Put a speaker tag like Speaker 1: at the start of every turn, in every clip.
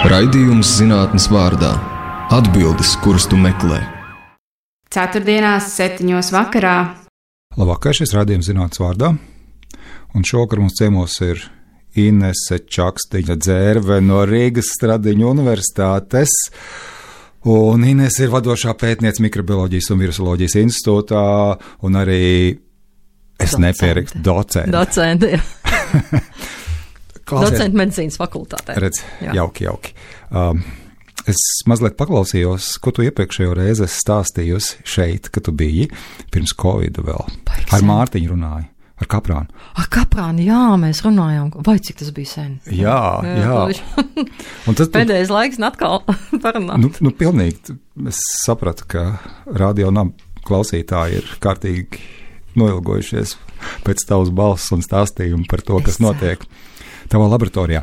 Speaker 1: Raidījums zinātnes vārdā. Atbildes, kuras tu meklē.
Speaker 2: Ceturtdienās 7:00 vakarā.
Speaker 3: Labvakar, šis raidījums zinātnes vārdā. Un šovakar mums ciemos ir Inese Čakstiņa-Dzērve no Rīgas Stradiņu universitātes. Un Inese ir vadošā pētniece mikrobioloģijas un virusoloģijas institūtā un arī, nepierakstu, docente.
Speaker 4: Docente, jā. Docente medicīnas fakultātē.
Speaker 3: Redz, jauki. Es mazliet paklausījos, ko tu iepriekšējo reizi stāstījusi šeit, kad tu biji pirms Covida vēl. Ar Mārtiņu runāju, ar Kaprānu.
Speaker 4: Ar Kaprānu, jā, mēs runājām. Vai cik tas bija sen?
Speaker 3: Jā. Un tas
Speaker 4: pēdējais laiks atkal parunāt.
Speaker 3: Nu, pilnīgi. Es sapratu, ka radio nav klausītāji ir kārtīgi noilgojušies pēc tavas balss un stāstījumu par to, kas notiek tavā laboratorijā.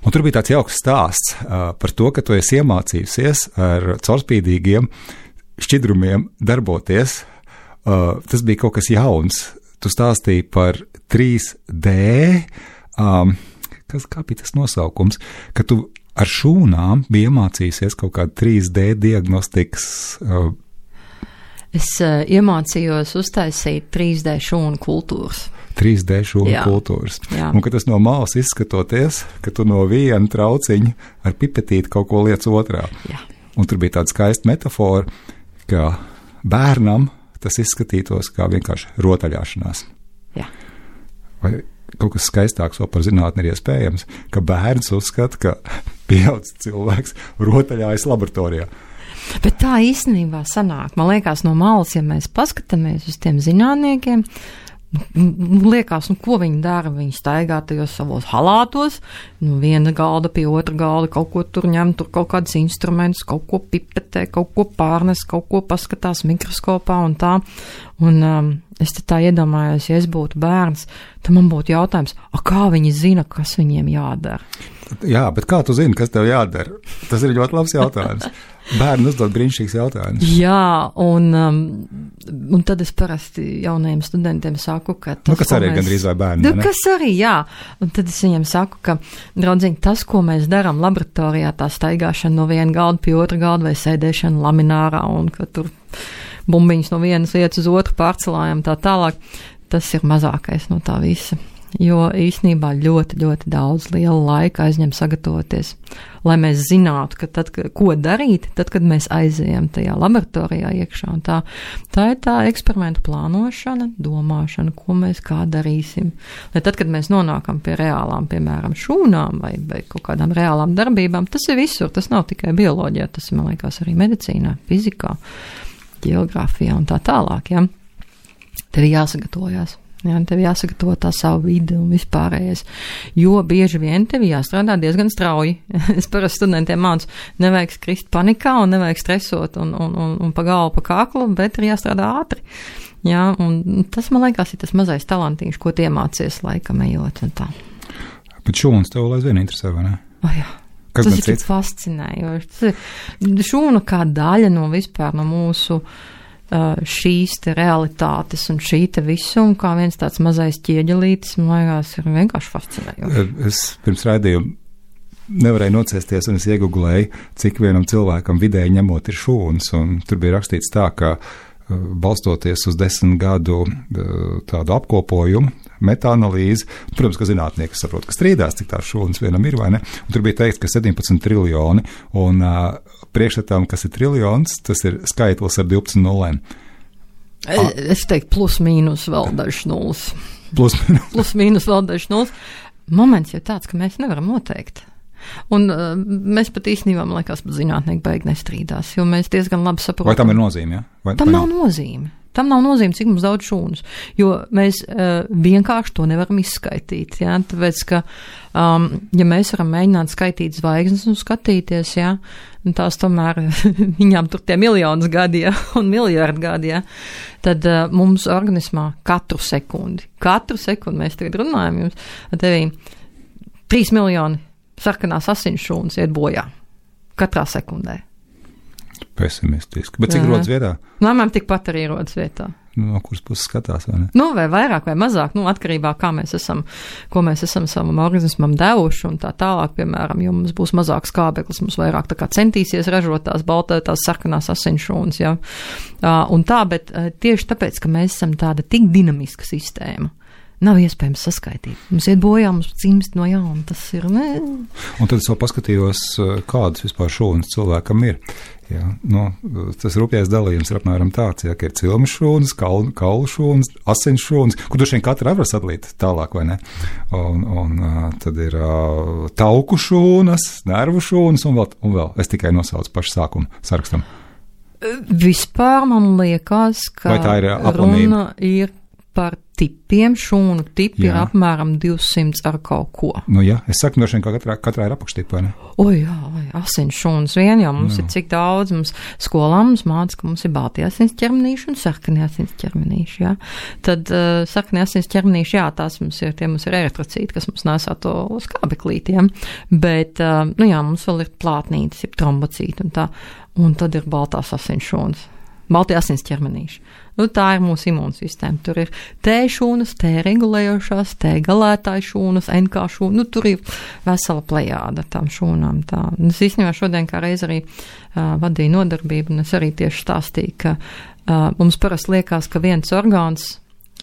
Speaker 3: Un tur bija tāds jauks stāsts par to, ka tu esi iemācījusies ar caurspīdīgiem šķidrumiem darboties. Tas bija kaut kas jauns. Tu stāstīji par 3D, kā bija tas nosaukums, ka tu ar šūnām bija iemācījusies kaut kādu 3D diagnostikas.
Speaker 4: Es iemācījos uztaisīt 3D šūnu kultūras.
Speaker 3: 3D šūnu kultūras.
Speaker 4: Jā.
Speaker 3: Un ka tas no malas izskatoties, ka tu no viena trauciņa ar pipetīti kaut ko liec otrā.
Speaker 4: Jā.
Speaker 3: Un tur bija tāda skaista metafora, ka bērnam tas izskatītos kā vienkārši rotaļāšanās.
Speaker 4: Jā.
Speaker 3: Vai kaut kas skaistāks vēl par zinātni ir iespējams, ka bērns uzskata, ka pieaudzis cilvēks rotaļājas laboratorijā.
Speaker 4: Bet tā īstenībā sanāk. Man liekas, no malas, ja mēs paskatāmies uz tiem zinātniekiem, liekas, ko viņi dara. Viņi staigā tajos savos halātos, viena galda pie otra galda, kaut ko tur ņem, tur kaut kādus instrumentus, kaut ko pipetē, kaut ko pārnes, kaut ko paskatās mikroskopā un tā. Un es te tā iedomājos, ja es būtu bērns, tad man būtu jautājums, kā viņi zina, kas viņiem jādara?
Speaker 3: Jā, bet kā tu zini, kas tev jādara? Tas ir ļoti labs jautājums. Bērni uzdod brīnišķīgs jautājums.
Speaker 4: Jā, un tad es parasti jaunajiem studentiem saku, ka tas,
Speaker 3: kas arī gandrīz vai bērni, ne?
Speaker 4: Kas arī, jā. Un tad es viņiem saku, ka, draudziņ, tas, ko mēs darām laboratorijā, tā staigāšana no viena galda pie otra galda vai sēdēšana laminārā un ka tur bumbiņas no vienas vietas uz otru pārcelājam tā tālāk, tas ir mazākais no tā visa. Jo īstenībā ļoti, ļoti daudz liela laika aizņem sagatavoties, lai mēs zinātu, ka tad, ko darīt, tad, kad mēs aizējam tajā laboratorijā iekšā. Un tā ir tā eksperimentu plānošana, domāšana, ko mēs kā darīsim. Lai tad, kad mēs nonākam pie reālām, piemēram, šūnām vai kaut kādām reālām darbībām, tas ir visur, tas nav tikai bioloģijā, tas ir, man liekas, arī medicīnā, fizikā, ģeogrāfijā un tā tālāk. Ja? Tev jāsagatavojās. Jā, tev jāsagatavo tā savu vidi un vispārējais, jo bieži vien tev jāstrādā diezgan strauji. Es parasti studentiem mācu, nevajag skrist panikā un nevajag stresot un pa galvu, pa kaklu, bet ir jāstrādā ātri. Jā, un tas, man liekas, ir tas mazais talantīgs, ko tie mācies laikam ejot un tā.
Speaker 3: Bet šūnas tev aizvien interesē, vai ne?
Speaker 4: Jā. Tas ir tik fascinējoši. Šūna kā daļa no vispār no mūsu šīs te realitātes un šī te visu, un kā viens tāds mazais ķieģelītis, man liekas, ir vienkārši fascinējoši.
Speaker 3: Es pirms raidījuma nevarēju nocēsties, un es iegooglēju, cik vienam cilvēkam vidēji ņemot ir šūnas, un tur bija rakstīts tā, ka balstoties uz 10 gadu tādu apkopojumu, metaanalīzi, protams, ka zinātnieki saprot, ka strīdās, cik tās šūnas vienam ir, vai ne? Un tur bija teikts, ka 17 triljoni, un priekšstatām, kas ir triljons, tas ir skaitlis ar 12 nulēm.
Speaker 4: Es teiktu, plus mīnus vēl dažs nulles.
Speaker 3: Plus
Speaker 4: mīnus vēl dažs nulles. Moments jau tāds, ka mēs nevaram noteikt. Un mēs pat īstenībā, man liekas, zinātnieki baigi nestrīdās, jo mēs diezgan labi saprotam.
Speaker 3: Vai tam ir nozīme, ja?
Speaker 4: Tam nav nozīme. Tam nav nozīme, cik mums daudz šūnas, jo mēs vienkārši to nevaram izskaitīt, ja? Tāpēc, ka, ja mēs varam mēģināt skaitīt zvaigznes un skatīties, ja? Un tās tomēr viņām tur tie miljonus gadi, ja? Un miljardi gadi, ja? Tad mums organismā katru sekundi mēs tagad runājam jums, ar tevī 3 miljoni sarkanās asinsšūnas iet bojā katrā sekundē.
Speaker 3: Pesimistiski. Bet cik rodas vietā?
Speaker 4: Mamām tikpat arī rodas vietā.
Speaker 3: no kuras puses skatās, vai ne?
Speaker 4: Nu, vai vairāk vai mazāk, nu, atkarībā, ko mēs esam savam organismam devuši un tā tālāk, piemēram, jo mums būs mazāks skābeklis, mums vairāk tā kā centīsies ražot tās tās sarkanās asinsšūnas, ja. Un tā, bet tieši tāpēc, ka mēs esam tāda tik dinamiska sistēma, nav iespējams saskaitīt. Mums iet bojā, mums cimst no jauna, tas ir, ne?
Speaker 3: Un tad es vēl paskatījos, kādas vispār šūnas cilvēkam ir. Jā, nu, tas rupjais dalījums ir apmēram tāds, ja, ka ir cilmu šūnas, kaulu šūnas, asins šūnas, kur droši vien katra var sadalīt tālāk, vai ne? Un tad ir tauku šūnas, nervu šūnas un vēl. Es tikai nosaucu pašu sākumu sarakstam.
Speaker 4: Vispār man liekas, ka runa ir par tipiem, šūnu tipi ir apmēram 200 ar kaut ko.
Speaker 3: Nu jā, es saku, droši vien, ka katrā ir apakštipa, ne?
Speaker 4: Asins šūnas vien, jau mums ir cik daudz, mums skolā mums māca, ka mums ir balti asins ķermenīši un sarkani asins ķermenīši, jā. Tad sarkani asins ķermenīši, jā, tās mums ir eritrocīti, kas mums nesā to skābeklītiem, bet, nu jā, mums vēl ir plātnītes, ir trombocīti un tā, un tad ir baltās asins šūnas. Balti asins ķermenīši. Nu, tā ir mūsu imūnsistēma. Tur ir T šūnas, T regulējošās, T galētāju šūnas, NK šūnas. Nu, tur ir vesela plejāda tām šūnām. Tā. Un es īstenībā šodien kā reiz arī vadīju nodarbību, un es arī tieši stāstīju, ka mums parasti liekas, ka viens orgāns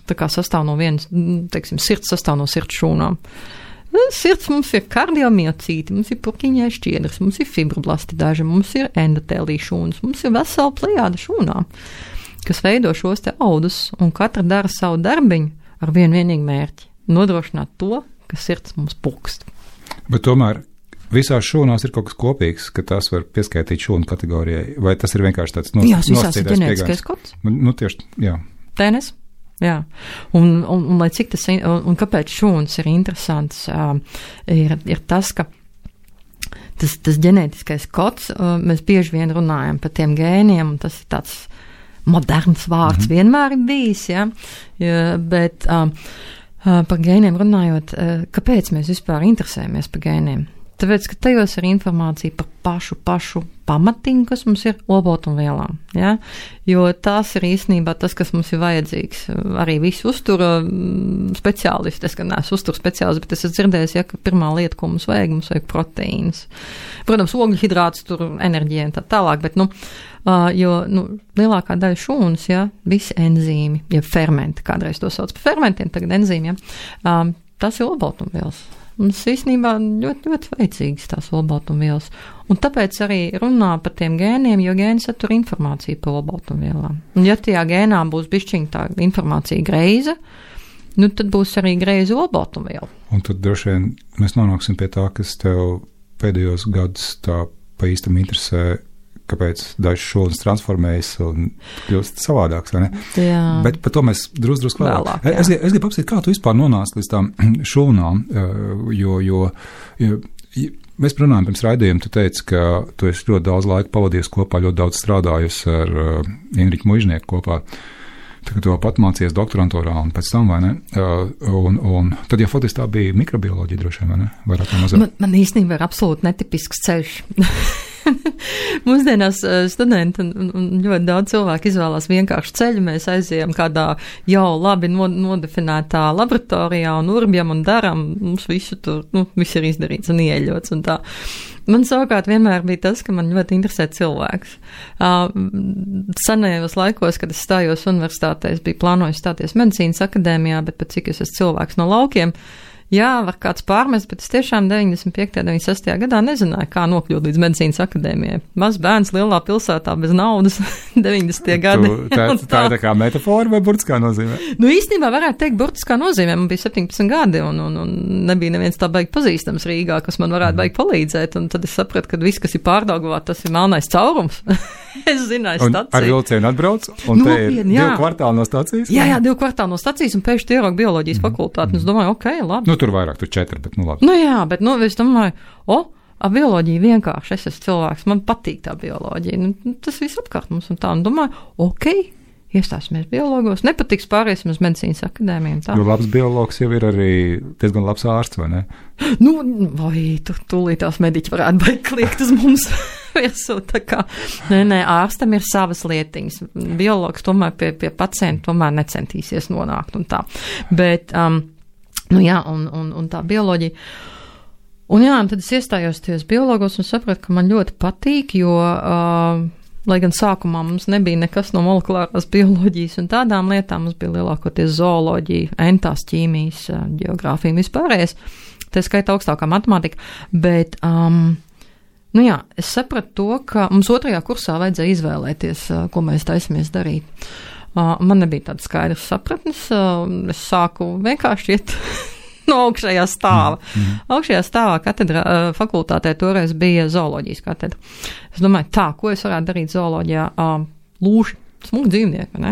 Speaker 4: tā kā sastāv no vienas, teiksim, sirds sastāv no sirds šūnām. Sirds mums ir kardiomiocīti, mums ir purkiņai šķiedras, mums ir fibroblasti daži, mums ir endotēlī šūnas, mums ir vesela plejāda šūnām, kas veido šos te audus, un katra dara savu darbiņu ar vienīgu mērķi – nodrošināt to, ka sirds mums pukst.
Speaker 3: Bet tomēr visās šūnās ir kaut kas kopīgs, ka tās var pieskaitīt šūnu kategorijai, vai tas ir vienkārši tāds
Speaker 4: nosacītais piegājums? Jā, visās ir ģenētiskais kods.
Speaker 3: Nu, tieši, jā.
Speaker 4: TNS? Jā, un lai cik tas, un kāpēc šūnas ir interesants, ir tas, ka tas ģenētiskais kods, mēs bieži vien runājam par tiem gēniem, un tas ir tāds moderns vārds vienmēr ir bijis, ja, bet par gēniem runājot, kāpēc mēs vispār interesējamies par gēniem? Tāpēc, ka tajos ir informācija par pašu pamatiņu, kas mums ir olbaltumvielām, ja? Jo tās ir īstenībā tas, kas mums ir vajadzīgs. Arī visi uztura speciālisti, es gan neesmu uztura speciālisti, bet es esmu dzirdējis, ja, ka pirmā lieta, ko mums vajag proteīnas. Protams, ogļhidrāts, tur enerģija un tā tālāk, bet, jo lielākā daļa šūnas, ja, visi enzīmi, ja fermenti, kādreiz to sauc par fermentiem, tagad enzīmi, ja, tas ir olbaltumvielas. Mums īstenībā ļoti, ļoti vajadzīgas tās olbaltumvielas. Un tāpēc arī runā par tiem gēniem, jo gēni satur informāciju par olbaltumvielām. Un ja tajā gēnā būs bišķiņ tā informācija greiza, nu tad būs arī greiza olbaltumviela. Un
Speaker 3: tad droši vien mēs nonāksim pie tā, kas tev pēdējos gadus tā pa īstam interesē, kāpēc dažas šūnas transformējas un kļūst savādāks, vai ne? Jā. Bet par to mēs drusku vēlāk. Es gribu apsīt, kā tu vispār nonāc līdz tām šūnām, jo mēs runājam pirms raidījuma, tu teici, ka tu esi ļoti daudz laika pavadījis kopā, ļoti daudz strādājusi ar Inriķu Muižnieku kopā. Tagad tu pat mācījies doktorantūrā un pēc tam, vai ne? Un tad, ja faktiski tā bija mikrobioloģija droši vien, vai ne? Vairāk vai mazāk.
Speaker 4: Man īstenībā ir absolūti netipisks ceļš. Mūsdienās studenti un ļoti daudz cilvēku izvēlās vienkārši ceļu. Mēs aizējam kādā jau labi nodefinētā laboratorijā un urbjam un daram. Mums visu tur, viss ir izdarīts un ieļots un tā. Man savukārt vienmēr bija tas, ka man ļoti interesē cilvēks. Senajos laikos, kad es stājos universitātē, es biju plānojis stāties medicīnas akadēmijā, bet pat cik es esmu cilvēks no laukiem, jā, var kāds pārmest, bet es tiešām 95. 96. gadā nezināju, kā nokļūt līdz medicīnas akadēmijai. Maz bērns lielā pilsētā bez naudas 90. gadi.
Speaker 3: Tā ir tā kā metafora vai burtiskā nozīmē?
Speaker 4: Īstenībā varētu teikt burtiskā nozīmē. Man bija 17 gadi un nebija neviens tā baigi pazīstams Rīgā, kas man varētu baigi palīdzēt. Un tad es sapratu, ka viss, kas ir Pārdaugavā, tas ir melnais caurums. Es zināju staciju.
Speaker 3: Ar vilcienu atbrauc, un te ir 2 kvartāli no stacijas?
Speaker 4: Jā, 2 kvartāli no stacijas, un pēkšņi ieraugu bioloģijas fakultāti. Un es domāju, ok, labi.
Speaker 3: Tur vairāk, tur 4, bet labi.
Speaker 4: Jā, bet es domāju, bioloģija vienkārši, es esmu cilvēks, man patīk tā bioloģija. Tas viss apkārt mums un tā. Un domāju, ok, iestāsimies biologos, nepatiks pāriesim uz medicīnas akadēmiju.
Speaker 3: Jo labs biologs jau ir arī diezgan labs ārsts, vai ne?
Speaker 4: Vai tūlīt tās mediķi varētu baigt kliegt uz mums. virsū, tā kā, nē, ārstam ir savas lietiņas. Biologs tomēr pie pacienta tomēr necentīsies nonākt un tā. Bet, un tā bioloģija. Un tad es iestājos tajos biologos un sapratu, ka man ļoti patīk, jo, lai gan sākumā mums nebija nekas no molekulārās bioloģijas un tādām lietām, mums bija lielākoties zooloģija, entās ķīmijas, geogrāfija un vispārējais, tā skaita augstākā matemātika, bet, es sapratu to, ka mums 2. kursā vajadzēja izvēlēties, ko mēs taisamies darīt. Man nebija tāda skaidrs sapratnes, es sāku vienkārši iet no augšējā stāva. Augšējā stāvā katedra fakultātē toreiz bija zooloģijas katedra. Es domāju, ko es varētu darīt zooloģijā? Lūši, smuki dzīvnieki, ne?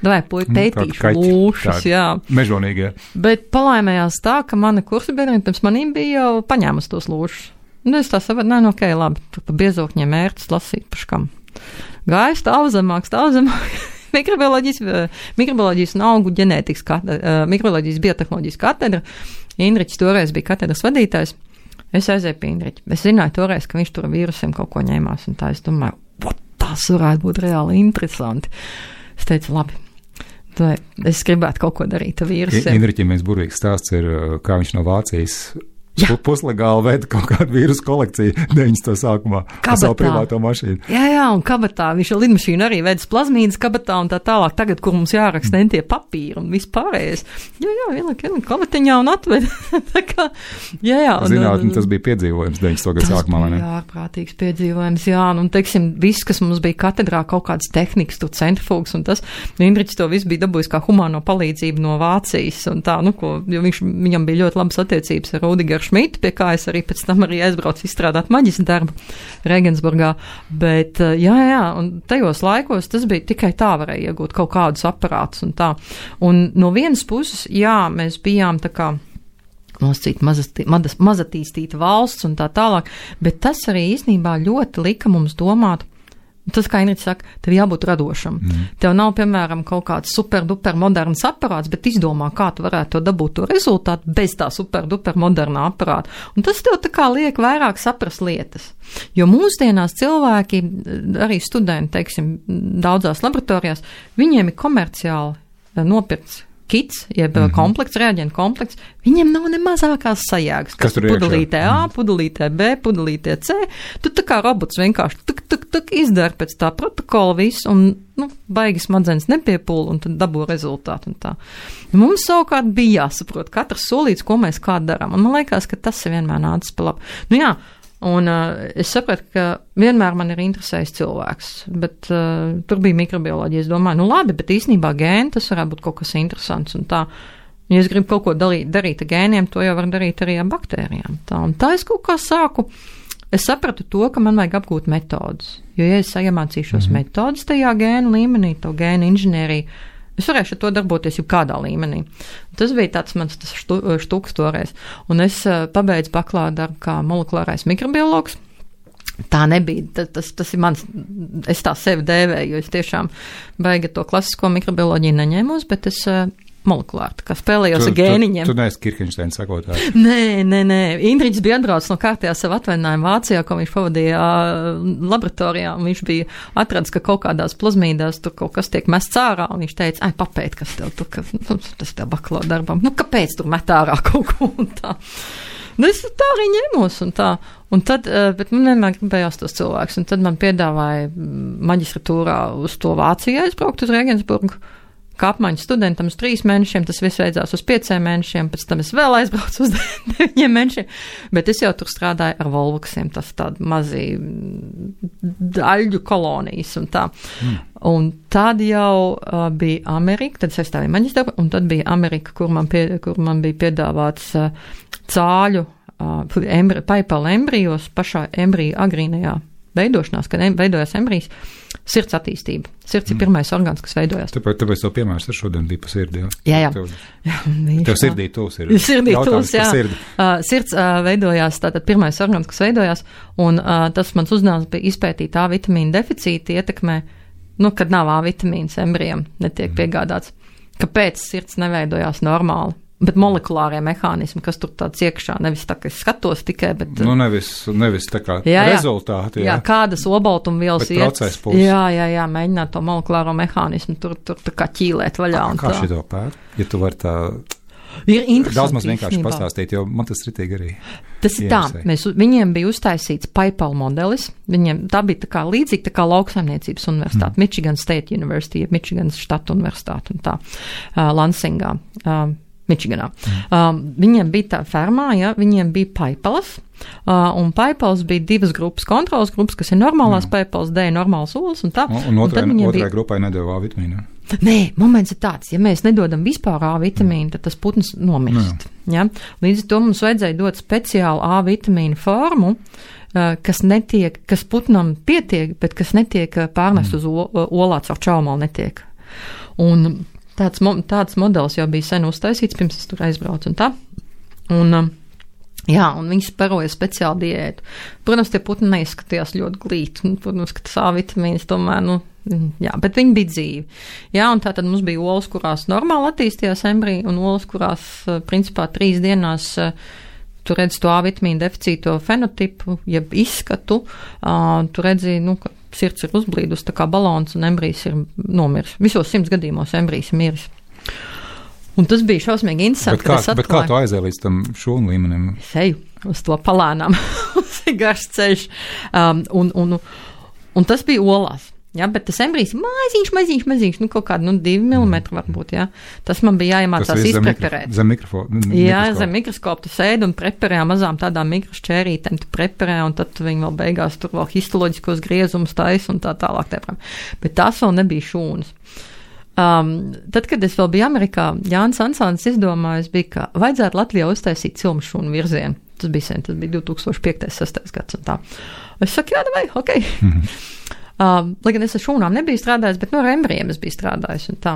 Speaker 4: Davai, pētīšu lūšus, jā.
Speaker 3: Mežonīgie.
Speaker 4: Bet palaimējās tā, ka mana kursa biedrene pirms manīm bija jau paņēmusi tos lūšus. Un es tā sapratu, labi, tur pa biezokņiem mērķis lasīt paškam. Gāju stāvzemāk. Mikrobioloģijas un augu ģenētikas mikrobioloģijas biotehnoloģijas katedra. Indriķis toreiz bija katedras vadītājs. Es aizēju pie Indriķa. Es zināju toreiz, ka viņš tur vīrusiem kaut ko ņēmās, un tā es domāju, tas varētu būt reāli interesanti. Es teicu, labi, es gribētu kaut ko darīt ar vīrusiem.
Speaker 3: Indriķim viens burvīgs stāsts ir, kā viņš no Vācijas puslegāli veda kaut kādu vīrusu kolekciju 90. sākumā ar savu privāto mašīnu.
Speaker 4: Jā, un kabatā. Viņš ar lidmašīnu arī vedas plazmīdas kabatā un tā tālāk. Tagad, kur mums jāraksta tie papīri un vispārējais. Jā, vienlāk kabatiņā un atved. Tā kā, jā.
Speaker 3: Zinātni, tas bija piedzīvojums 90. gadu sākumā, vai ne?
Speaker 4: Jā, ārprātīgs piedzīvojums, jā. Un, teiksim, viss, kas mums bija katedrā, kaut kādas tehnikas, tur centrifugas un tas, Indriķis to viss bija dabūjis kā humāno palīdzību no Vācijas un tā, jo viņam bija ļoti labas attiecības ar Rudigeru Šmitu, pie kā es arī pēc tam arī aizbraucu izstrādāt maģistra darbu Regensburgā, bet un tajos laikos tas bija tikai tā varēja iegūt kaut kādus aparātus un tā. Un no vienas puses, mēs bijām tā kā mazatīstīta valsts un tā tālāk, bet tas arī īstenībā ļoti lika mums domāt. Tas, kā Inrits saka, tev jābūt radošam. Tev nav, piemēram, kaut kāds super-duper moderns aparāts, bet izdomā, kā tu varētu to dabūt to rezultātu bez tā super-duper modernā aparāta. Un tas tev tā kā liek vairāk saprast lietas. Jo mūsdienās cilvēki, arī studenti, teiksim, daudzās laboratorijās, viņiem ir komerciāli nopirkts kits, jeb komplekts, reaģentu komplekts, viņiem nav ne mazākās sajēgas.
Speaker 3: Kas tur
Speaker 4: pudelītē A, pudelītē B, pudelītē C. Tu tā kā robots vienkārši tuk izdara pēc tā protokola visu un, baigi smadzenes nepiepūl un tad dabū rezultātu un tā. Mums savukārt bija jāsaprot katrs solīts, ko mēs kā darām. Un man liekas, ka tas ir vienmēr nācis pa labu. Un es sapratu, ka vienmēr man ir interesējis cilvēks, bet tur bija mikrobioloģija. Es domāju, labi, bet īstenībā gēni tas varētu būt kaut kas interesants un tā. Ja es gribu kaut ko darīt ar gēniem, to jau var darīt arī ar baktērijām. Un tā es kaut kā sāku. Es sapratu to, ka man vajag apgūt metodus. Jo, ja es iemācīšos metodus tajā gēnu līmenī, to gēnu inženieriju, es varēšu to darboties jau kādā līmenī. Tas bija tāds mans štuks toreiz. Un es pabeidzu bakalaura darbu kā molekulārais mikrobiologs. Tā nebija, tas ir mans, es tā sevi dēvēju, jo es tiešām baigi to klasisko mikrobioloģiju neņēmos, bet es molekulāri, tā kā spēlējos ar gēniņiem.
Speaker 3: Tu neesi Kirkensteina sakotāji?
Speaker 4: Nē. Indriķis bija atbraucis no kārtējā savu atvaļinājumu Vācijā, ko viņš pavadīja laboratorijā, un viņš bija atradis, ka kaut kādās plazmīdās tur kaut kas tiek mests ārā, un viņš teica, papēt, kas tev tur, tas tev bakalaura darbam, kāpēc tur met ārā kaut ko un tā. Es tā arī ņemos un tā. Un tad, bet man vienmēr gribējās tos cilvēkus, un tad man piedāvāja maģistratūrā uz to Vācijā aizbraukt uz Regensburgu. Kā apmaiņas studentam uz 3 mēnešiem, tas viss beidzās uz 5 mēnešiem, pēc tam es vēl aizbraucu uz 9 mēnešiem, bet es jau tur strādāju ar volvuksiem, tas tādi mazi daļu kolonijas un tā. Un tad jau bija Amerika, tad es aizstāju maģistru, un tad bija Amerika, kur man bija piedāvāts cāļu paipala embrijos, pašā embrija agrīnajā veidošanās, kad veidojās embrijs, sirds attīstība. Sirds ir pirmais orgāns, kas veidojās.
Speaker 3: Tāpēc to piemērs ar šodien bija pa sirdi, jā?
Speaker 4: Jā.
Speaker 3: Tev sirdī tūs ir.
Speaker 4: Sirdī tūs, jā. Sirds veidojās, tātad pirmais orgāns, kas veidojās, un tas mans uzdevums bija izpētīt A vitamīna deficīti ietekmē, kad nav A vitamīns embrijam, netiek piegādāts. Kāpēc sirds neveidojās normāli? Bet molekulārie mehānismi, kas tur tāds iekšā, nevis tā, ka es skatos tikai, bet...
Speaker 3: Nu, nevis tā kā rezultāti,
Speaker 4: jā. Jā, kādas obaltumvielas
Speaker 3: iet. Bet process puses.
Speaker 4: Jā, mēģināt to molekulāro mehānismu tur tā kā ķīlēt vaļā.
Speaker 3: Kā šito pēt? Ja tu vari tā...
Speaker 4: Ir interesanti.
Speaker 3: Daudz maz vienkārši pastāstīt, jo man tas ritīgi arī.
Speaker 4: Tas ir tā, viņiem bija uztaisīts PayPal modelis, tā bija tā kā līdzīgi tā kā lauksaimniecības universitāte, Michigan State University, Michigan štata universitāte un tā, Lansingā. Michiganā. Viņiem bija tā fermā, viņiem bija PayPalas, un PayPals bija 2 grupas, kontrolas grupas, kas ir normālās PayPals, dēja normāls olas un tā.
Speaker 3: Un otrai grupai nedeva A vitamīnu.
Speaker 4: Nē, moments ir tāds, ja mēs nedodam vispār A vitamīnu, tad tas putns nomirst. Ja? Līdz ar to mums vajadzēja dot speciālu A vitamīnu formu, kas putnam pietiek, bet kas netiek pārnest uz olā caur čaumalu netiek. Un tāds modelis jau bija sen uztaisīts, pirms es tur aizbraucu un tā. Un viņi sparoja speciālu diētu. Protams, tie putni neizskatījās ļoti glīti. Protams, ka tas A vitamīns tomēr, bet viņi bija dzīvi. Jā, un tā tad mums bija olas, kurās normāli attīstījās embriji, un olas, kurās, principā, 3 dienās tu redzi to A vitamīnu deficīto fenotipu, jeb izskatu, tu redzi, ka sirds ir uzblīdus, tā kā balons, un embrijs ir nomiris. Visos 100 gadījumos embrijs ir miris. Un tas bija šausmīgi interesanti.
Speaker 3: Bet kā tu aizēji līdz tam šūnu līmenim?
Speaker 4: Es eju uz to palēnām. Tas ir garš ceļš. Un tas bija olās. Ja, bet tas embrijs maziņš, kaut kādu 2 mm varbūt, jā. Tas man bija jāiemācās izpreparēt.
Speaker 3: Zem mikrofona.
Speaker 4: Jā, zem mikroskopu tu sēdi un preparē mazām tādām mikrošķērītēm, tu preparē, un tad viņi vēl beigās tur vēl histoloģiskos griezumus taisa un tā tālāk. Bet tās vēl nebija šūnas. Tad, kad es vēl biju Amerikā, Jānis Ansāns izdomājis bija, ka vajadzētu Latvijā uztaisīt cilmu šūnu virzienu. Tas bija 2005.6. gads un tā. Es saku, jā, vai, ok. Lai gan es ar šūnām nebiju strādājis, bet ar embrijiem es biju strādājis un tā.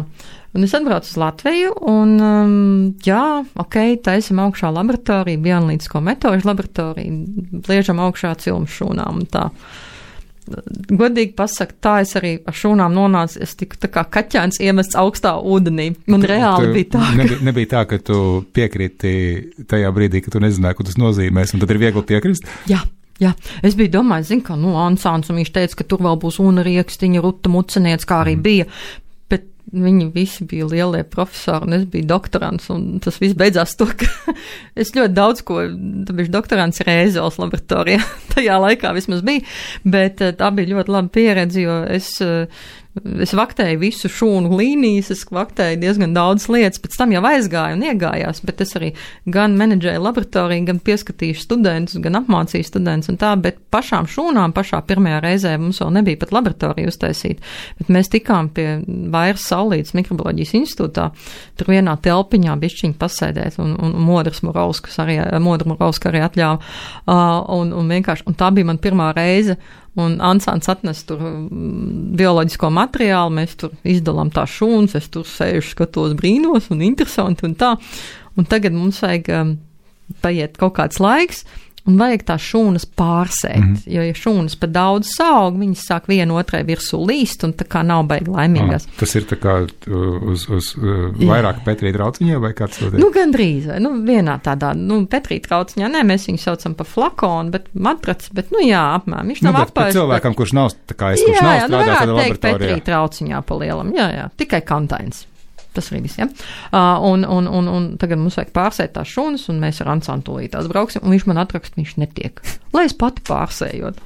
Speaker 4: Un es atbraucu uz Latviju un, taisam augšā laboratoriju, bioanalītisko metožu laboratoriju, liežam augšā cilmu šūnām un tā. Godīgi pasaka, tā es arī ar šūnām nonācu, es tiku tā kā kaķēns iemests augstā ūdenī. Man reāli bija tā, ka...
Speaker 3: Nebija tā, ka tu piekriti tajā brīdī, ka tu nezināji, ko tas nozīmēs, un tad ir viegli piekrist?
Speaker 4: Jā, es biju domājis, Ansāns, un viņš teica, ka tur vēl būs Una Riekstiņa, Ruta Muceniec, kā arī bija, bet viņi visi bija lielie profesori, un es biju doktorants, un tas viss beidzās to, ka es ļoti daudz ko, tāpēc doktorants Rēzeles laboratorijā, tajā laikā vismaz bija, bet tā bija ļoti laba pieredze, jo es vaktēju visu šūnu līnijas, es vaktēju diezgan daudz lietas, pēc tam jau aizgāju un iegājās, bet es arī gan menedžēju laboratoriju, gan pieskatīju studentus, gan apmācīju studentus un tā, bet pašām šūnām, pašā pirmajā reizē mums vēl nebija pat laboratorija uztaisīt, bet mēs tikām pie Vairas Saulītes mikrobioloģijas institūtā, tur vienā telpiņā bišķiņi pasēdēt un Modra Murovska arī atļāva, un vienkārši, un tā bija man pirmā reize, un Ansāns atnes tur bioloģisko materiālu, mēs tur izdalām tās šūnas, es tur sēžu, skatos brīnos un interesanti un tā. Un tagad mums vajag paiet kaut kāds laiks un vajag tās šūnas pārsēt, jo ja šūnas pa daudz saug, viņas sāk vienu otrai virsū līst un tā kā nav baigi laimīgās.
Speaker 3: Tas ir tā kā uz vairāk Petrī trauciņā vai kāds to teikt?
Speaker 4: Gandrīz, vienā tādā, Petrī trauciņā, mēs viņu saucam pa flakonu, bet matracs, bet apmēram, viņš nav apāļš.
Speaker 3: Bet cilvēkam, kurš nav, tā kā es, kurš nav strādājis
Speaker 4: tādā laboratorijā. Petrī trauciņā pa lielam, tikai kantains. Tas arī viss, un tagad mums vajag pārsēt tās šūnas, un mēs ar Ansānu tūlītās brauksim, un viņš man atrakst, viņš netiek. Lai es pati pārsējot.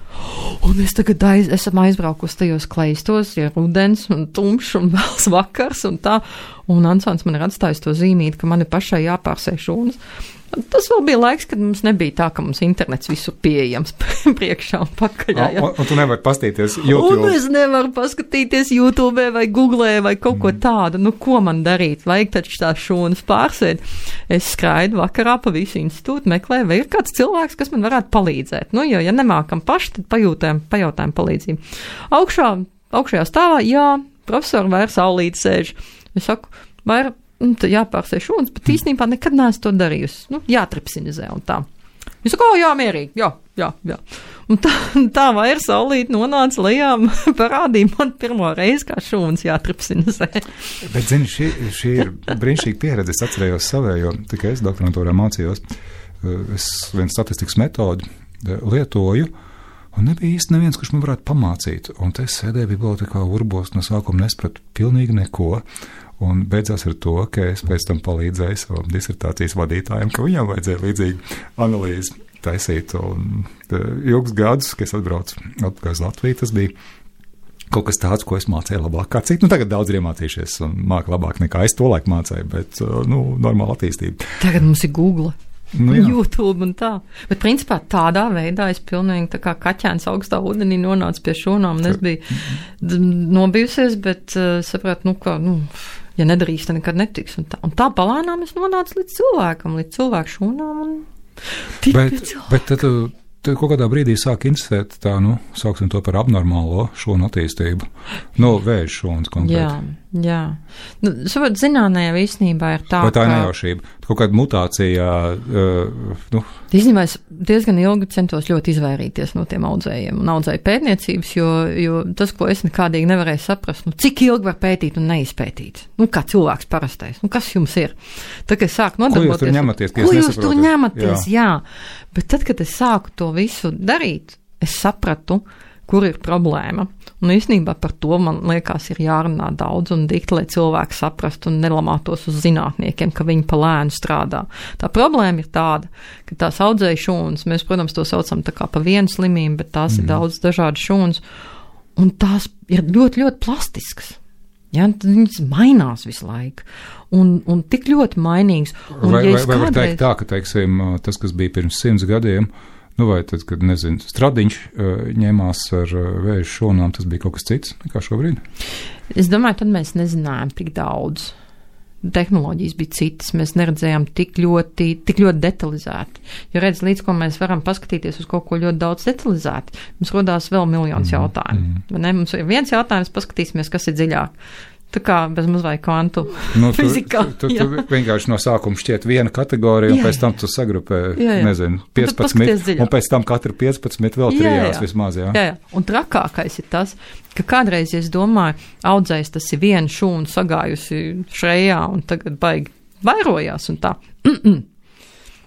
Speaker 4: Un es tagad esam aizbraukusi tajos kleistos, ja rudens un tumšs un vēls vakars un tā, un Ansāns man ir atstājis to zīmīt, ka man ir pašai jāpārsē šūnas. Tas vēl bija laiks, kad mums nebija tā, ka mums internets visur pieejams priekšā un pakaļā.
Speaker 3: Un tu nevari paskatīties YouTube.
Speaker 4: Un es nevaru paskatīties YouTube vai Googlē vai kaut ko tādu. Ko man darīt? Vajag taču tās šūnas pārsēt. Es skraidu vakarā pa visu institūtu, meklēju, vai ir kāds cilvēks, kas man varētu palīdzēt. Jo, ja nemākam paši, tad pajautājam palīdzību. Augšējā stāvā, profesori Vaira Saulīte sēž. Es saku, Vaira, tad jāpārsē šūnas, bet īstenībā nekad neesmu to darījusi. Jātripsinizē un tā. Viņš saka, jā, mierīgi, jā. Un tā vairs saulīt nonāca lejā, parādīja man pirmo reizi, kā šūnas jātripsina zē.
Speaker 3: Bet, zini, šī ir brīnišķīga pieredze. Es atcerējos savējo, tikai es doktorantūrā mācījos. Es vienu statistikas metodu lietoju, un nebija īsti neviens, kurš man varētu pamācīt. Un te sēdēju bibliotekā urbos, no sākuma nespratu pilnīgi neko. Un beidzās ar to, ka es pēc tam palīdzēju savam disertācijas vadītājiem, ka viņam vajadzēja līdzīgi analīzi taisīt. Un ilgus gadus, kad es atbraucu atpakaļ uz Latviju, tas bija kaut kas tāds, ko es mācīju labāk kā citi. Tagad daudz ir iemācījušies un māku labāk nekā es tolaik mācīju, bet, normāla attīstība.
Speaker 4: Tagad mums ir Google.
Speaker 3: Jā.
Speaker 4: YouTube un tā. Bet, principā, tādā veidā es pilnīgi tā kā kaķēns augstā ūdenī nonācu pie šūnām, un es biju nobijusies, bet sapratu, ja nedarīs, tad nekad netiks. Un tā palēnām es nonācu līdz cilvēku šūnām un
Speaker 3: Bet tad kaut kādā brīdī sāk interesēt tā, sauksim to par abnormālo šūnu attīstību. Vēža šūnas konkrēti.
Speaker 4: Jā. Saprot, zinātnē īstenībā ir tā,
Speaker 3: vai tā ir nejaušība? Kaut kāda mutācija,
Speaker 4: Īstenībā es diezgan ilgi centos ļoti izvairīties no tiem audzējiem un audzēju pētniecības, jo tas, ko es nekādīgi nevarēju saprast, cik ilgi var pētīt un neizpētīt. Kā cilvēks parastais. Kas jums ir? Tad, kad es sāku nodarboties...
Speaker 3: Ko jūs tur ņematies?
Speaker 4: Jā. Bet tad, kad es sāku to visu darīt, es sapratu, kur ir problēma. Un īstenībā par to, man liekas, ir jārunā daudz un dikti, lai cilvēki saprastu un nelamātos uz zinātniekiem, ka viņi pa lēnu strādā. Tā problēma ir tāda, ka tās audzēja šūnas, mēs, protams, to saucam tā kā pa vienu slimību, bet tās ir daudz dažādas šūnas, un tās ir ļoti, ļoti plastiskas. Ja, viņas mainās visu laiku, un tik ļoti mainīgas. Un,
Speaker 3: vai var teikt tā, ka, teiksim, tas, kas bija pirms 100 gadiem, vai tad, kad, Stradiņš ņēmās ar vēža šūnām, tas bija kaut kas cits nekā šobrīd?
Speaker 4: Es domāju, tad mēs nezinājām tik daudz. Tehnoloģijas bija citas, mēs neredzējām tik ļoti detalizēti. Jo redz, līdz ko mēs varam paskatīties uz kaut ko ļoti daudz detalizēti, mums rodās vēl miljonus jautājumu. Mums ir viens jautājums, paskatīsimies, kas ir dziļāk. Tā kā bez mazliet kvantu fizikā.
Speaker 3: Tu vienkārši no sākuma šķiet viena kategorija, un pēc tam tu sagrupē, 15, un pēc tam katru 15 vēl trijās vismaz, jā.
Speaker 4: Un trakākais ir tas, ka kādreiz, es domāju, audzējs tas ir viena šūna sagājusi šrejā, un tagad baigi vairojās, un tā.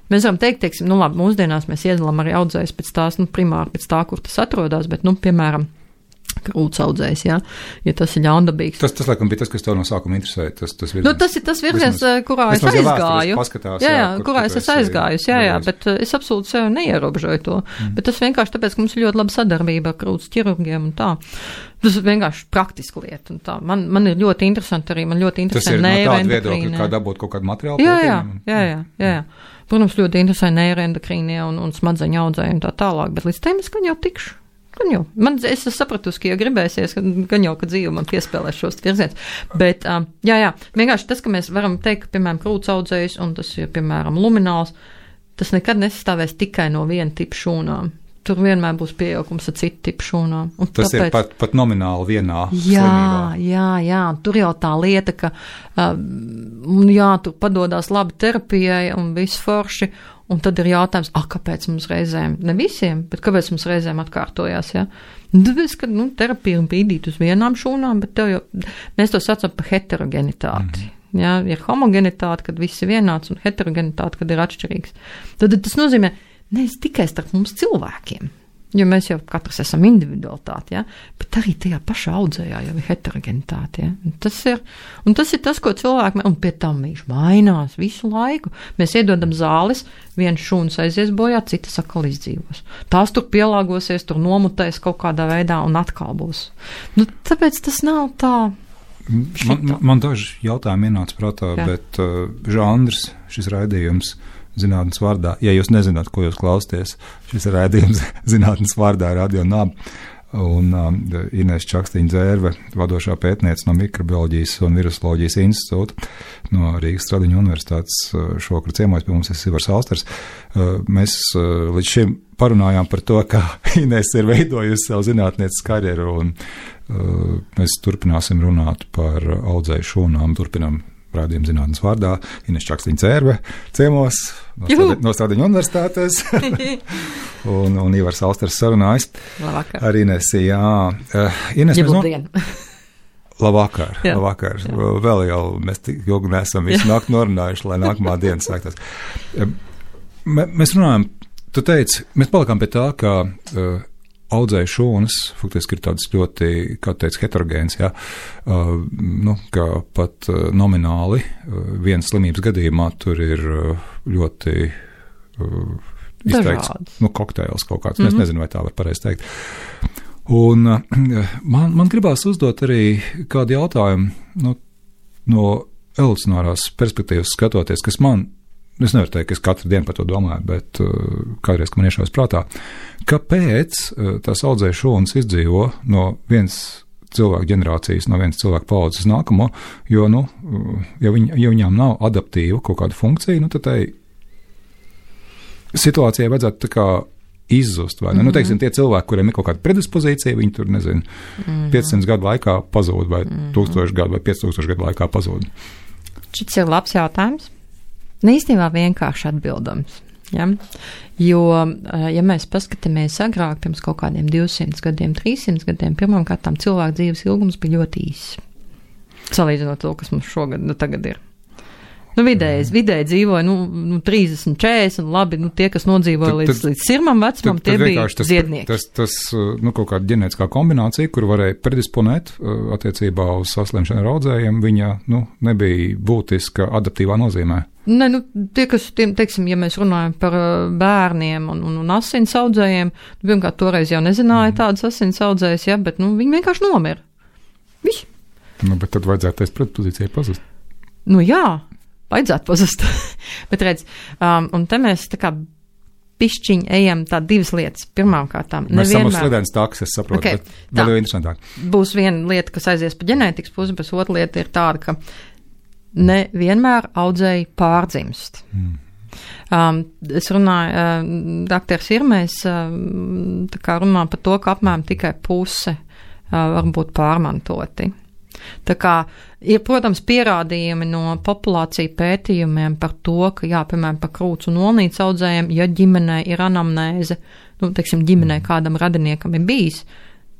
Speaker 4: Mēs varam teikt, labi, mūsdienās mēs iedalām arī audzējs pēc tās, primāri pēc tā, kur tas atrodas, bet, piemēram, krūts audzējs, ja tas ir ļaundabīgs.
Speaker 3: Tas laikam bija tas, kas tev no sākuma interesēja. Tas
Speaker 4: ir tas virziens, kurā es aizgāju. Kurā es aizgāju, bet es absolūti sev neierobežoju to. Bet tas vienkārši tāpēc, ka mums ir ļoti laba sadarbība ar krūts ķirurgiem un tā. Tas ir vienkārši praktiska lieta. Un tā. Man ir ļoti interesanti arī,
Speaker 3: tas ir no tāda viedokļa, kā dabūt kaut kādu materiālu pētījumu.
Speaker 4: Jā. Protams, ļoti interesanti neiroendokrīnie un smadzeņu audzēji un tā tālāk, bet līdz tiem es gan jau tikšu. Es sapratu, ka, ja gribēsies, gan jau, ka dzīve man piespēlēs šos virzienus. Bet, vienkārši tas, ka mēs varam teikt, ka, piemēram, krūts audzējs, un tas ir, piemēram, lumināls, tas nekad nesastāvēs tikai no viena tipa šūnām. Tur vienmēr būs pieaugums ar citu tipu šūnām.
Speaker 3: Tas ir pat nomināli vienā slimībā.
Speaker 4: Jā, tur jau tā lieta, ka, tur padodās labi terapijai un viss forši, un tad ir jautājums, kāpēc mums reizēm, ne visiem, bet kāpēc mums reizēm atkārtojās, ja? Tāpēc, ka, terapija ir bīdīt uz vienām šūnām, bet mēs to saucam par heterogenitāti. Ja? Ir homogenitāte, kad viss ir vienāds, un heterogenitāte, kad ir atšķirīgs. Tad tas nozīmē, nevis tikai starp mums cilvēkiem, jo mēs jau katrs esam individualitāti, ja? Bet arī tajā pašā audzējā jau ir heterogenitāte. Ja? Tas ir tas, ko cilvēki, un pie tam viņš mainās visu laiku. Mēs iedodam zāles, viens šūns aizies bojā, citas atkal izdzīvos. Tās tur pielāgosies, tur nomutēs kaut kādā veidā un atkal būs. Tāpēc tas nav tā.
Speaker 3: Man daži jautājumi ienāca prātā, bet žanrs, šis raidījums, zinātnes vārdā. Ja jūs nezināt, ko jūs klausties, šis ir raidījums zinātnes vārdā Radio Nab. Un Inese Čakstīņa-Dzērve, vadošā pētniece no Mikrobioloģijas un Virusoloģijas institūta no Rīgas Stradiņu universitātes, šovakar ciemojas pie mums Ivars Austers. Mēs līdz šim parunājām par to, kā Inese ir veidojusi savu zinātnieces karjeru, un mēs turpināsim runāt par audzēju šūnām, turpinām rādījuma zinātnes vārdā, Ines Čakstiņa-Cērve ciemos no Stradiņu universitātes, un Ivars Alsters sarunājas.
Speaker 4: Labvakar.
Speaker 3: Ar Inesi, jā. Ines, Labvakar. Vēl jau mēs tik ilgi neesam visu nakti norunājuši, lai nākamā diena sāktos. Mēs runājam, tu teici, mēs palikām pie tā, ka audzēja šūnas, faktiski ir tāds ļoti, kā teica, heterogēns, jā, ka pat nomināli vienas slimības gadījumā tur ir ļoti izteikts, kokteils kaut kāds, es nezinu, vai tā var pareizi teikt. Un man gribās uzdot arī kādu jautājumu, no evolucionārās perspektīvas skatoties, kas es nevaru teikt, ka es katru dienu par to domāju, bet kādreiz, ka man iešaujas prātā, kāpēc tās audzēja šūnas izdzīvo no vienas cilvēku ģenerācijas, no vienas cilvēku paudzes nākamo, jo, ja viņām nav adaptīva kaut kāda funkcija, tad tai situācijai vajadzētu tā kā izzust, vai ne? Teiksim, tie cilvēki, kuriem ir kaut kāda predispozīcija, viņi tur, 500 gadu laikā pazūd, vai 1000 gadu, vai 5000 gadu laikā pazūd.
Speaker 4: Šis ir labs jautājums. Īstenībā vienkārši atbildams. Ja? Jo, ja mēs paskatāmies agrāk, pirms kaut kādiem 200 gadiem, 300 gadiem, pirmām kārtām cilvēku dzīves ilgums bija ļoti īss. Salīdzinot to, kas mums šogad, tagad ir. Vidēji dzīvoja, 30, 40, labi, tie, kas nodzīvoja līdz sirmam vecumam, tie bija ziednieki.
Speaker 3: Tas kaut kāda ģenētiskā kombinācija, kur varēja predisponēt attiecībā uz saslimšanu ar audzējiem, viņa, nebija būtiska adaptīvā nozīmē.
Speaker 4: Tie, kas, teiksim, ja mēs runājam par bērniem un asins audzējiem, pirmkārt, toreiz jau nezināja tādas asins audzējas, ja, bet, viņi vienkārši nomira. Viss.
Speaker 3: Bet tad vajadzētu tais predispozīcijai pazust.
Speaker 4: Jā, vajadzētu pazust. Bet redz, un te mēs tā kā pišķiņi ejam tā divas lietas. Pirmām kārtām.
Speaker 3: Mēs esam uz slidēnas tāks, es saprotu, okay, bet vēl jau interesantāk.
Speaker 4: Būs viena lieta, kas aizies pa ģenētikas pusi, bet otra lieta ir tāda, ka ne vienmēr audzēji pārdzimst. Es runāju, doktors Irmējs tā kā runā par to, ka apmēram tikai puse var būt pārmantoti. Tā kā ir, protams, pierādījumi no populāciju pētījumiem par to, ka, piemēram, par krūts un olnīcu audzējiem, ja ģimenē ir anamnēze, ģimenē kādam radiniekam ir bijis,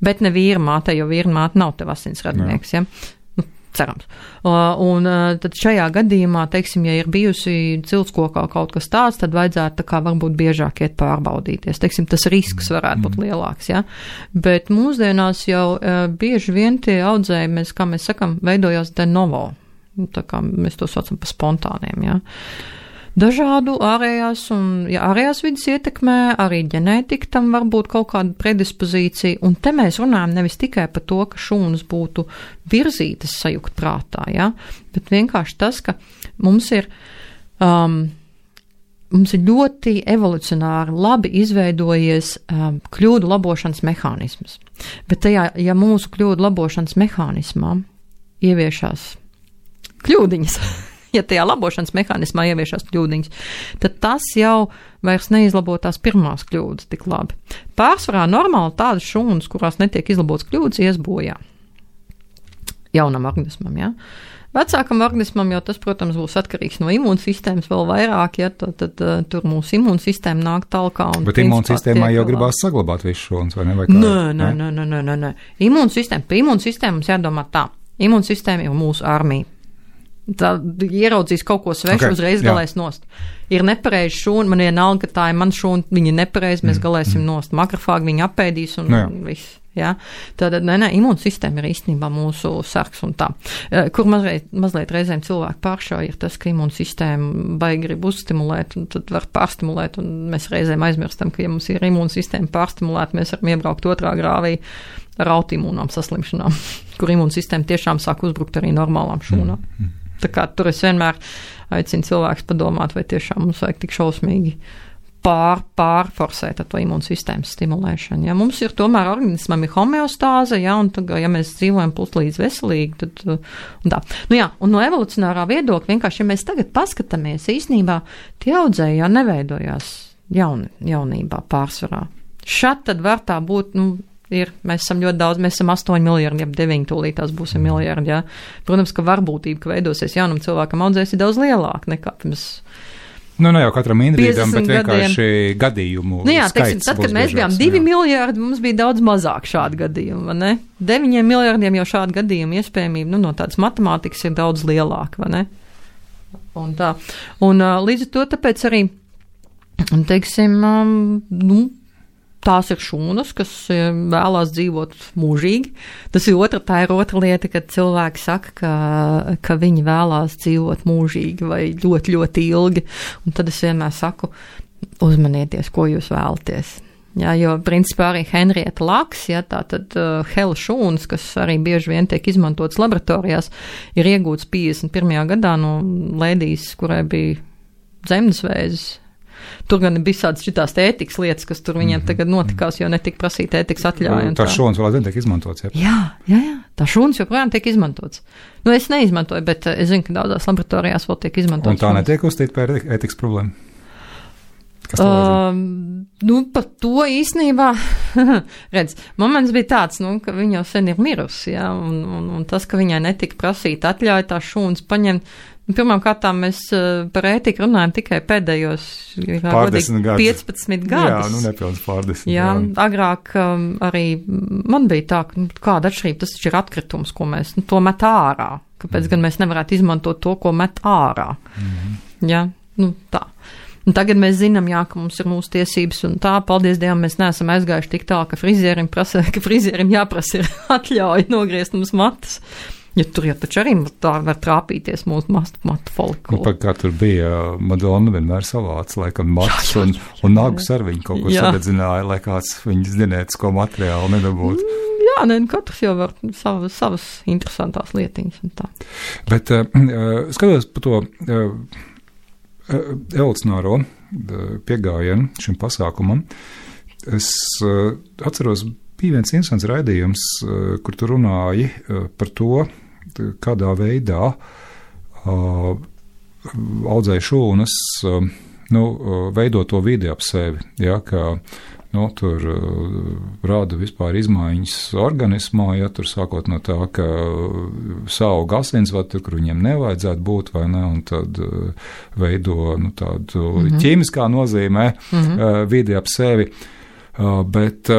Speaker 4: bet ne vīrmāte, jo vīrmāte nav tev asins radinieks, ja? Cerams. Un tad šajā gadījumā, ja ir bijusi ciltskokā kaut kas tāds, tad vajadzētu tā kā varbūt biežāk iet pārbaudīties. Tas risks varētu būt lielāks, ja. Bet mūsdienās jau bieži vien tie audzēji, kā mēs sakam, veidojās de novo. Tā kā mēs to saucam par spontāniem, ja. Dažādu ārējās vidas ietekmē, arī ģenētika tam var būt kaut kāda predispozīcija, un te mēs runājam nevis tikai par to, ka šūnas būtu virzītas sajukt prātā, ja, bet vienkārši tas, ka mums ir ļoti evolucionāri labi izveidojies kļūdu labošanas mehānisms. Bet tajā, ja mūsu kļūdu labošanas mehānismā ieviešās kļūdiņas, ja tajā labošanas mehānismā ieviešās kļūdiņas, tad tas jau vairs neizlabo tās pirmās kļūdas tik labi. Pārsvarā normāli tādas šūnas, kurās netiek izlabotas kļūdas, ies bojā. Jaunam organismam, ja. Vecākam organismam jau tas, protams, būs atkarīgs no imūnsistēmas vēl vairāk, ja, tad tur mūsu imūnsistēma nāk talkā.
Speaker 3: Bet imūnsistēmā jau gribās saglabāt visu šūnas, vai ne? Vai
Speaker 4: nē. Pie imūnsistēma mums jādomā tā. Imūnsistēma ir mūsu armija. Tā ieraudzīs kaut ko svešu, uzreiz galēs nost. Ir nepareizi šūna, man vienalga, ka tā ir man šūna, viņa nepareizi, mēs galēsim nost. Makrofāgi viņa apēdīs un viss. Ja? Tātad, imūnsistēma ir īstenībā mūsu sargs un tā. Kur mazliet reizēm cilvēki pāršauj ir tas, ka imūnsistēma baigi grib uzstimulēt un tad var pārstimulēt un mēs reizēm aizmirstam, ka ja mums ir imūnsistēma pārstimulēt, mēs varam iebraukt otrā grāvī ar autoimūnām saslimšanām, kur imūnsistēma tiešām sāk uzbrukt arī normālām šūnām. Tā kā tur es vienmēr aicinu cilvēkus padomāt, vai tiešām mums vajag tik šausmīgi pārforsēt ar to imūnsistēmas stimulēšanu. Ja mums ir tomēr organismam ir homeostāze, ja, un tad, ja mēs dzīvojam puslīdz veselīgi, tad un tā. Un no evolucionārā viedokļa vienkārši, ja mēs tagad paskatāmies, īstenībā tie audzēji jau neveidojās jaunībā pārsvarā. Šad tad var tā būt, mēs esam ļoti daudz, mēs esam 8 miljardi, 9 tūlītās būsim miljardi, jā. Protams, ka varbūtība, ka veidosies jaunam cilvēkam audzēs, ir daudz lielāka nekā pirms.
Speaker 3: Nu, ne jau katram individam, bet vienkārši gadījumu skaits.
Speaker 4: Tad, kad mēs bijām 2 miljardi, mums bija daudz mazāk šādu gadījumu, vai ne? 9 miljardiem jau šādu gadījumu iespējamība, no tādas matemātikas ir daudz lielāka, vai ne? Un tā. Un līdz ar to tāpēc arī, teiksim, tās ir šūnas, kas vēlās dzīvot mūžīgi. Tā ir otra lieta, kad cilvēki saka, ka viņi vēlās dzīvot mūžīgi vai ļoti, ļoti ilgi. Un tad es vienmēr saku, uzmanieties, ko jūs vēlaties. Jā, jo principā arī Henrieta Laks, jā, tātad hela šūnas, kas arī bieži vien tiek izmantotas laboratorijās, ir iegūts 51. gadā no lēdijas, kurai bija dzemdesvēzis. Tur gan bija tādas šitās ētikas lietas, kas tur viņiem tagad notikās, jo netika prasīta ētikas atļauja.
Speaker 3: Tā šūnas vēl aizvien tiek izmantots, jā?
Speaker 4: Jā. Tā šūnas joprojām tiek izmantots. Nu, es neizmantoju, bet es zinu, ka daudzās laboratorijās vēl tiek izmantots.
Speaker 3: Un tā netiek uzstīta par ētikas problēmu?
Speaker 4: Par to īstenībā, redz, moments bija tāds, ka viņa jau sen ir mirusi, jā, un tas, ka viņai netika prasīta atļauja tā šūnas paņemt. Pirmām kārtām mēs par ētiku runājam tikai pēdējos 15 gadus.
Speaker 3: Jā, nepilns pārdesmit.
Speaker 4: Jā, agrāk arī man bija tā, ka kāda atšķirība, tas ir atkritums, ko mēs to met ārā. Kāpēc gan mēs nevarētu izmantot to, ko met ārā? Jā, tā. Un tagad mēs zinām, jā, ka mums ir mūsu tiesības un tā, paldies Dievam, mēs neesam aizgājuši tik tā, ka frizierim jāprasa ir atļauja nogriezt mums matus. Ja tur jau taču arī tā var trāpīties mūsu matu folikulu.
Speaker 3: Kā tur bija, Madonna vienmēr savāca, laikam, matus un nagus ar viņu kaut ko sadedzināja, lai kāds viņas ģenētisko materiālu nedabūtu.
Speaker 4: Jā, katrs jau var savas interesantās lietiņas un tā.
Speaker 3: Bet skatos par to evolucionāro piegājienu šim pasākumam. Es atceros, bija viens interesants raidījums, kur tu runāji par to, kādā veidā audzēja šūnas, veido to vidi ap sevi, ja, ka tur rāda vispār izmaiņas organismā, ja tur sākot no tā, ka saug asinsvadu, kur viņiem nevajadzētu būt, vai ne, un tad veido tādu ķīmiskā nozīmē vidi ap sevi. Bet,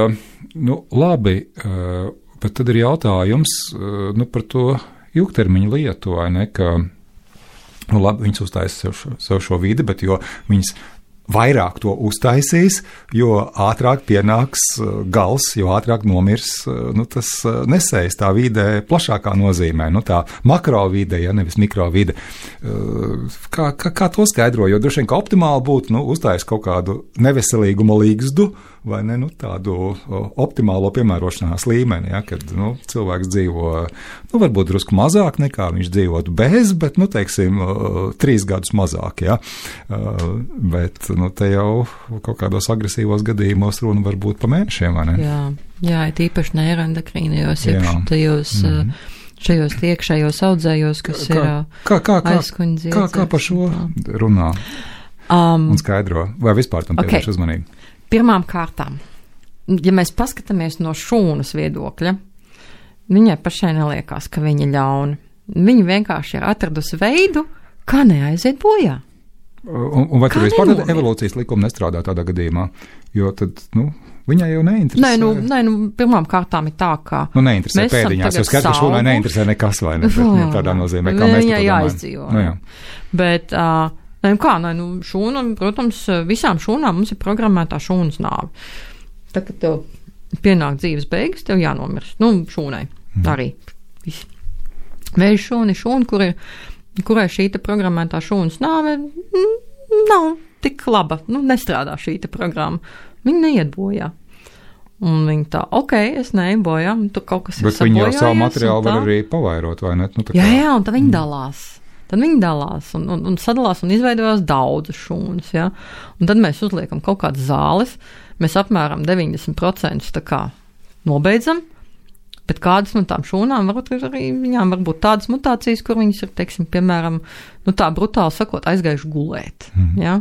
Speaker 3: labi, bet tad ir jautājums par to ilgtermiņa lietu, vai ne, ka, labi, viņas uztaisa sev šo vidi, bet jo viņas vairāk to uztaisīs, jo ātrāk pienāks gals, jo ātrāk nomirs, tas nesējas tā vide plašākā nozīmē, tā makrovide, ja nevis mikrovide. Kā to skaidro, jo droši vien, ka optimāli būtu, uztaisīt kaut kādu neveselīguma līgzdu, vai ne, tādu optimālo piemērošanās līmeni, ja, kad, cilvēks dzīvo, varbūt drusku mazāk nekā viņš dzīvotu bez, bet, teiksim, 3 gadus mazāk, ja, bet, te jau kaut kādos agresīvos gadījumos runa var būt pa mēnešiem, vai ne?
Speaker 4: Jā, tīpaši neiroendokrīnajos, šajos iekšējos audzējos, kas ir aizkuņa dziedzēs. Kā par šo runā un skaidro, vai vispār tam pievērš uzmanību? Pirmām kārtām, ja mēs paskatāmies no šūnas viedokļa, viņai pašai neliekās, ka viņa ļauna. Viņa vienkārši ir atradusi veidu, kā neaiziet bojā.
Speaker 3: Un vai tur vispār evolūcijas likuma nestrādā tādā gadījumā? Jo tad, viņai jau neinteresē.
Speaker 4: Nē, pirmām kārtām ir tā, ka
Speaker 3: neinteresē pēdiņās, jo skaidrs, ka šūnai neinteresē nekas, vai ne? Tādā nozīmē, kā mēs to domājam.
Speaker 4: Viņai jāizdzīvo. Bet, šūna, protams, visām šūnām mums ir programmētā šūnas nāve. Tā, kad tev pienāk dzīves beigas, tev jānomirst. Šūnai arī. Vēža šūna ir šūna, kurai šī programmētā šūnas nāve nav tik laba. Nestrādā šī programma. Viņa neiet bojā. Un viņa tā, es neeju bojā, tur kaut kas ir sabojājies.
Speaker 3: Bet viņa jau savu materiālu var arī pavairot, vai ne?
Speaker 4: Jā, un tad viņa dalās. Tad viņi dalās un sadalās un izveidojās daudzas šūnas, ja? Un tad mēs uzliekam kaut kādas zāles, mēs apmēram 90% tā kā nobeidzam, bet kādas no tām šūnām viņām var būt tādas mutācijas, kur viņas ir, teiksim, piemēram, tā brutāli sakot, aizgājuši gulēt, ja?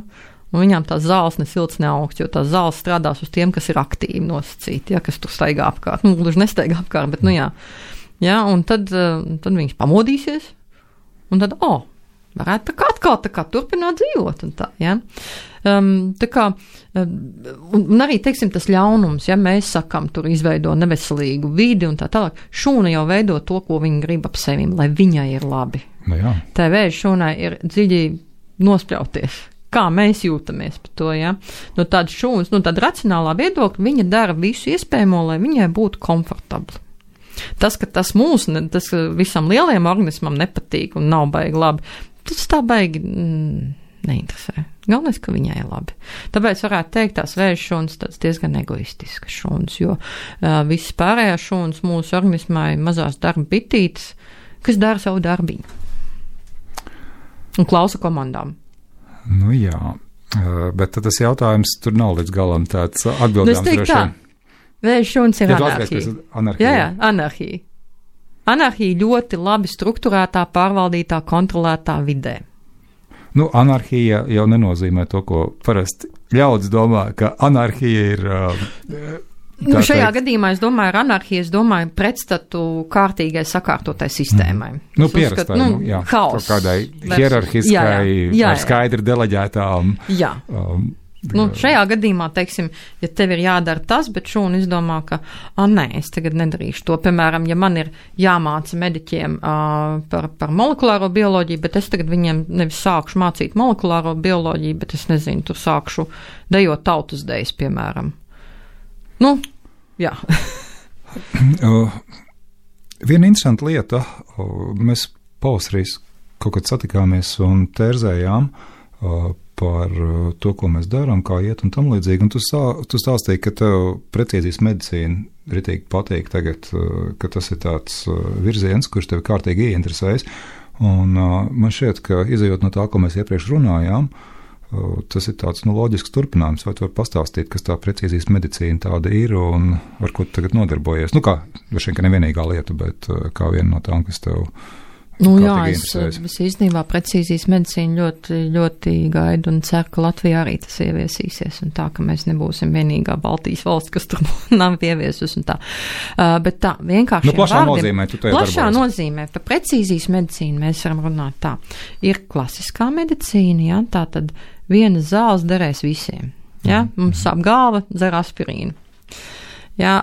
Speaker 4: Un viņām tās zāles ne silts, ne augsts, jo tās zāles strādās uz tiem, kas ir aktīvi nosacīti, ja, kas tur staigā apkārt. Nu, gluži nestaigā apkārt, bet, nu jā. Ja, un tad viņas pamodīsies, un tad, varētu tā kā turpināt dzīvot, un tā, ja. Tā kā, un arī, teiksim, tas ļaunums, ja mēs sakam, tur izveido neveselīgu vidi un tā tālāk, šūna jau veido to, ko viņa grib ap sevim, lai viņai ir labi.
Speaker 3: Nu jā.
Speaker 4: Tā vēža šūnai ir dziļi nospļauties. Kā mēs jūtamies par to, ja? No tādas šūnas, no tāda racionālā viedokļa, viņa dara visu iespējamo, lai viņai būtu komfortabli. Tas, ka tas tas visam lielajam organismam nepatīk un nav baigi labi, tas tā baigi neinteresē. Galvenais, ka viņai ir labi. Tāpēc varētu teikt, tās vēža šūnas tāds diezgan egoistiskas šūnas, jo visas pārējās šūnas mūsu organismā ir mazās darba bitītes, kas dara savu darbiņu. Un klausa komandām.
Speaker 3: Nu jā, bet tad tas jautājums tur nav līdz galam tāds atbildāms.
Speaker 4: Es teiktu tā, vēža šūnas ir anarhija. Jā, anarhija. Anarhija ļoti labi strukturētā, pārvaldītā, kontrolētā vidē.
Speaker 3: Nu, anarhija jau nenozīmē to, ko parasti ļaudis domā, ka anarhija ir...
Speaker 4: šajā gadījumā es domāju, ar anarhiju, es domāju pretstatu kārtīgai sakārtotai sistēmai.
Speaker 3: Nu, pierastai, jā.
Speaker 4: Haos.
Speaker 3: Kādai hierarhiskai, ar skaidri deleģētām. Jā.
Speaker 4: Šajā gadījumā, teiksim, ja tev ir jādara tas, bet šūna izdomā, ka, nē, es tagad nedarīšu to. Piemēram, ja man ir jāmāca mediķiem par molekulāro bioloģiju, bet es tagad viņiem nevis sākšu mācīt molekulāro bioloģiju, bet es nezinu, tur sākšu dejot tautas dejas, piemēram. Nu, jā.
Speaker 3: Viena interesanta lieta, mēs pavasarī kaut kad satikāmies un tērzējām par to, ko mēs darām, kā iet un tam līdzīgi, un tu stāstīji, ka tev precīzijas medicīna ritīgi patīk tagad, ka tas ir tāds virziens, kurš tevi kārtīgi ieinteresējas, un man šķiet, ka izejot no tā, ko mēs iepriekš runājām, tas ir tāds loģisks turpinājums. Vai tu vari pastāstīt, kas tā precīzijas medicīna tāda ir un ar ko tu tagad nodarbojies? Nu kā, droši vien, ka nevienīgā lieta, bet kā viena no tām, kas tev
Speaker 4: jā, es īstenībā precīzijas medicīnu ļoti, ļoti gaidu un ceru, ka Latvijā arī tas ieviesīsies un tā, ka mēs nebūsim vienīgā Baltijas valsts, kas tur nav ieviesus un tā. Bet tā, vienkārši
Speaker 3: plašā nozīmē, tu tajā
Speaker 4: plašā nozīmē, par precīzijas medicīnu mēs varam runāt tā. Ir klasiskā medicīna, jā, tā tad vienas zāles derēs visiem. Ja? Mums sāp galva, dzer aspirīnu. Ja,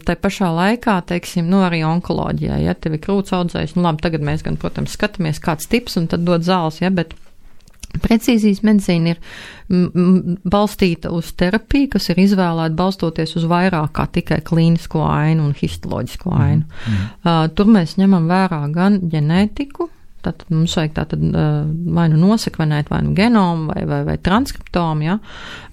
Speaker 4: tai pašā laikā, teiksim, arī onkoloģijā, ja tev ir krūts audzējs, labi, tagad mēs gan, protams, skatāmies kāds tips un tad dod zāles, ja, bet precīzijas medicīna ir balstīta uz terapiju, kas ir izvēlēta balstoties uz vairāk kā tikai klīnisko ainu un histoloģisko ainu. Tur mēs ņemam vērā gan ģenētiku, tātad mums vajag tātad vai nu nosekvenēt, vai nu genomu, vai transkriptomu, ja.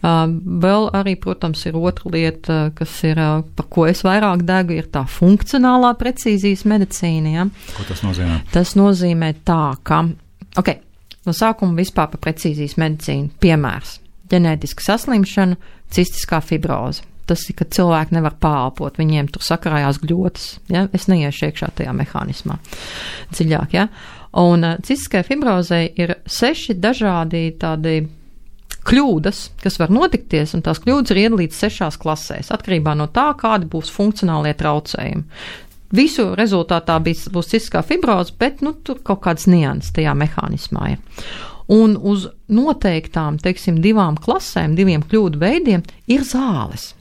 Speaker 4: Vēl arī, protams, ir otra lieta, kas ir, par ko es vairāk degu, ir tā funkcionālā precīzijas medicīna, ja.
Speaker 3: Ko tas nozīmē? Tas
Speaker 4: nozīmē tā, ka, no sākuma vispār par precīzijas medicīnu piemērs. Ģenētiska saslimšana, cistiskā fibroze. Tas ir, ka cilvēki nevar pālpot, viņiem tur sakarājās gļotas, ja. Es neiešu iekšā tajā mehānismā dziļāk, ja. Un cistiskai fibrozei ir 6 dažādi tādi kļūdas, kas var notikties, un tās kļūdas ir iedalītas 6 klasēs, atkarībā no tā, kādi būs funkcionālie traucējumi. Visu rezultātā būs cistiskā fibroze, bet, tur kaut kāds nianses tajā mehānismā ir. Un uz noteiktām, teiksim, 2 klasēm, 2 kļūdu veidiem ir zāles,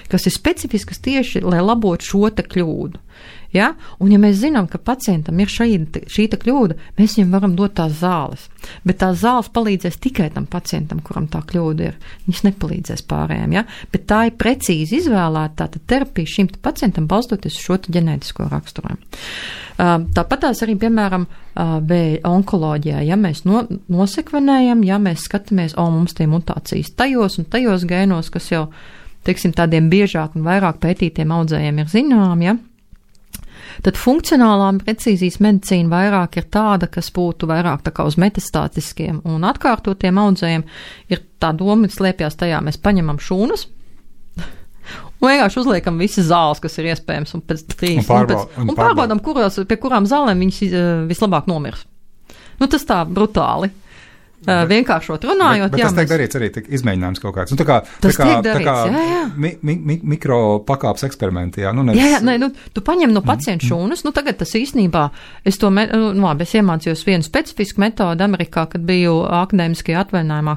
Speaker 4: kas ir specifiskas tieši, lai labotu šo te kļūdu. Ja? Un ja mēs zinām, ka pacientam ir šī kļūda, mēs viņam varam dot tās zāles. Bet tās zāles palīdzēs tikai tam pacientam, kuram tā kļūda ir. Viņas nepalīdzēs pārējiem. Ja? Bet tā ir precīzi izvēlēta tātad terapija šim pacientam balstoties uz šo ģenētisko raksturojumu. Tāpat tās arī, piemēram, onkoloģijā, ja mēs nosekvenējam, ja mēs skatāmies, mums tie mutācijas tajos un tajos gēnos, kas jau, teiksim, tādiem biežāk un vairāk pētītiem audzējiem ir zinām, ja? Tad funkcionālā precīzijas medicīna vairāk ir tāda, kas būtu vairāk tā kā uz metastātiskiem un atkārtotiem audzējiem. Ir tā doma, slēpjas tajā, mēs paņemam šūnas un vienkārši uzliekam visas zāles, kas ir iespējams, un pēc 3 un pārbaudam, pie kurām zālēm viņas vislabāk nomirs. Tas tā brutāli. vienkāršot runājot.
Speaker 3: Bet tas tiek darīts arī izmēģinājums kaut kāds. Nu, tas tiek darīts, mikro pakāpes eksperimenti, jā.
Speaker 4: Tu paņem no pacientu šūnas, tagad tas īstenībā, es iemācījos vienu specifisku metodu Amerikā, kad biju akadēmiskajā atvaļinājumā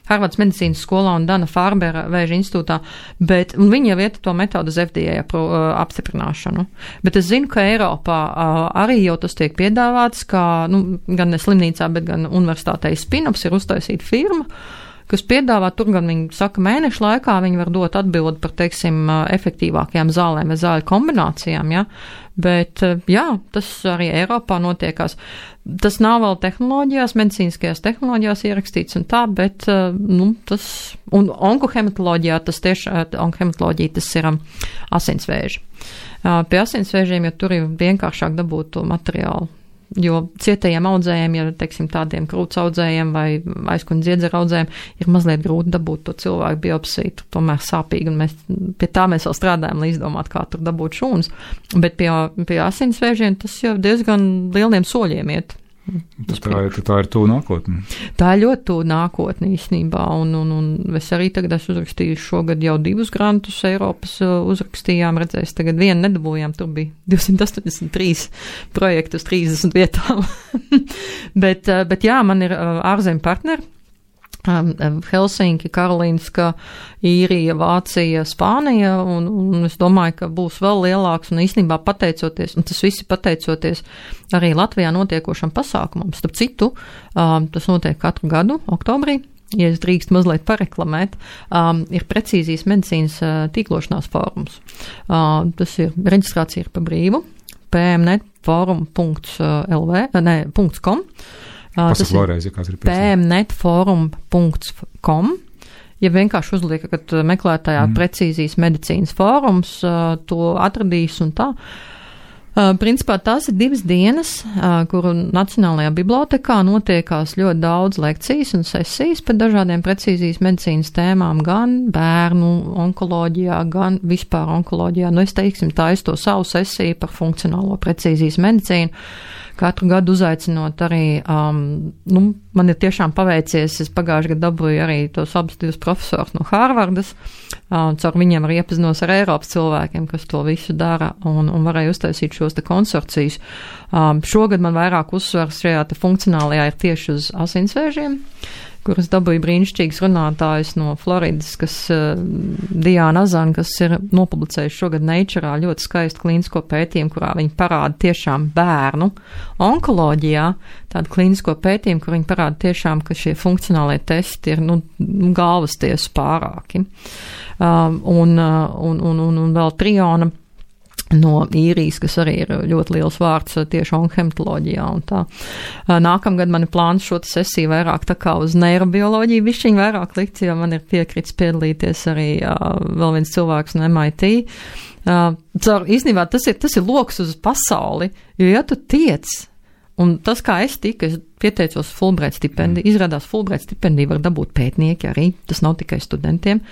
Speaker 4: Harvardas medicīnas skolā un Dana Farbera vēža institūtā, bet viņi jau iet to metodu uz FDA apstiprināšanu. Bet es zinu, ka Eiropā arī jau tas tiek piedāvāts, kā, gan ne slimnīcā, bet gan universitātei Spinops ir uztaisīta firma, kas piedāvā, tur gan viņi saka mēnešu laikā, viņi var dot atbildi par, teiksim, efektīvākajām zālēm vai zāļu kombinācijām, ja? Bet, jā, tas arī Eiropā notiekās. Tas nav vēl tehnoloģijās, medicīniskajās tehnoloģijās ierakstīts un tā, bet, tas, un onkohematoloģijā onkohematoloģija tas ir asinsvēži. Pie asinsvēžiem, ja tur ir vienkāršāk dabūt to materiālu, jo cietajiem audzējiem, ja, teiksim, tādiem krūts audzējiem vai aizkuņa dziedzera audzējiem, ir mazliet grūti dabūt to cilvēku biopsiju, tomēr sāpīgi, un pie tā mēs vēl strādājam, lai izdomātu, kā tur dabūt šūnas, bet pie asinsvēžiem tas jau diezgan lieliem soļiem iet.
Speaker 3: Tā ir tuvu nākotne.
Speaker 4: Tā ir ļoti tuvu nākotne īstenībā, un es arī tagad esmu uzrakstīju šogad jau 2 grantus Eiropas uzrakstījām, redzēs, tagad vienu nedabūjām, tur bija 283 projektu uz 30 vietām. bet jā, man ir ārzemju partneri. Helsinki, Karolīnska, Īrija, Vācija, Spānija, un es domāju, ka būs vēl lielāks, un īstenībā pateicoties, un tas visi pateicoties arī Latvijā notiekošam pasākumam. Starp citu, tas notiek katru gadu, oktobrī, ja es drīkst mazliet pareklamēt, ir precīzijas medicīnas tīklošanās fórums. Tas ir, reģistrācija ir pa brīvu, pmnetforum.com.
Speaker 3: Tas ir
Speaker 4: pmnetforum.com. Ja vienkārši uzliekat meklētājā precīzijas medicīnas fórums, to atradīs un tā. Principā tās ir 2 dienas, kuru Nacionālajā bibliotekā notiekās ļoti daudz lekcijas un sesijas par dažādiem precīzijas medicīnas tēmām, gan bērnu onkoloģijā, gan vispār onkoloģijā. Es teiksim, tā es to savu sesiju par funkcionālo precīzijas medicīnu. Katru gadu uzaicinot arī, man ir tiešām paveicies, es pagājuši gadu dabūju arī tos abus 2 profesors no Harvardas, caur viņiem arī iepazinos ar Eiropas cilvēkiem, kas to visu dara, un varēju uztaisīt šos te konsorcijus. Šogad man vairāk uzsvars šajā te funkcionālajā ir tieši uz asinsvēžiem, kuras dabūja brīnišķīgas runātājas no Floridas, kas Diana Azana, kas ir nopublicējuši šogad Nature'ā ļoti skaistu klīnisko pētījumu, kurā viņi parāda tiešām bērnu onkoloģijā, tādu klīnisko pētījumu, kur viņi parāda tiešām, ka šie funkcionālie testi ir, galvas tiesu pārāki. Un vēl Triona no Īrijas, kas arī ir ļoti liels vārds tieši onkohematoloģijā un tā. Nākamgad man ir plāns šo sesiju vairāk tā kā uz neirobioloģiju, bišķiņ vairāk likt, jo man ir piekrits piedalīties arī vēl viens cilvēks no MIT. Īstenībā tas ir loks uz pasauli, jo ja tu tiec, un tas, kā es pieteicos Fulbright stipendiju, izrādās Fulbright stipendiju var dabūt pētnieki arī, tas nav tikai studentiem.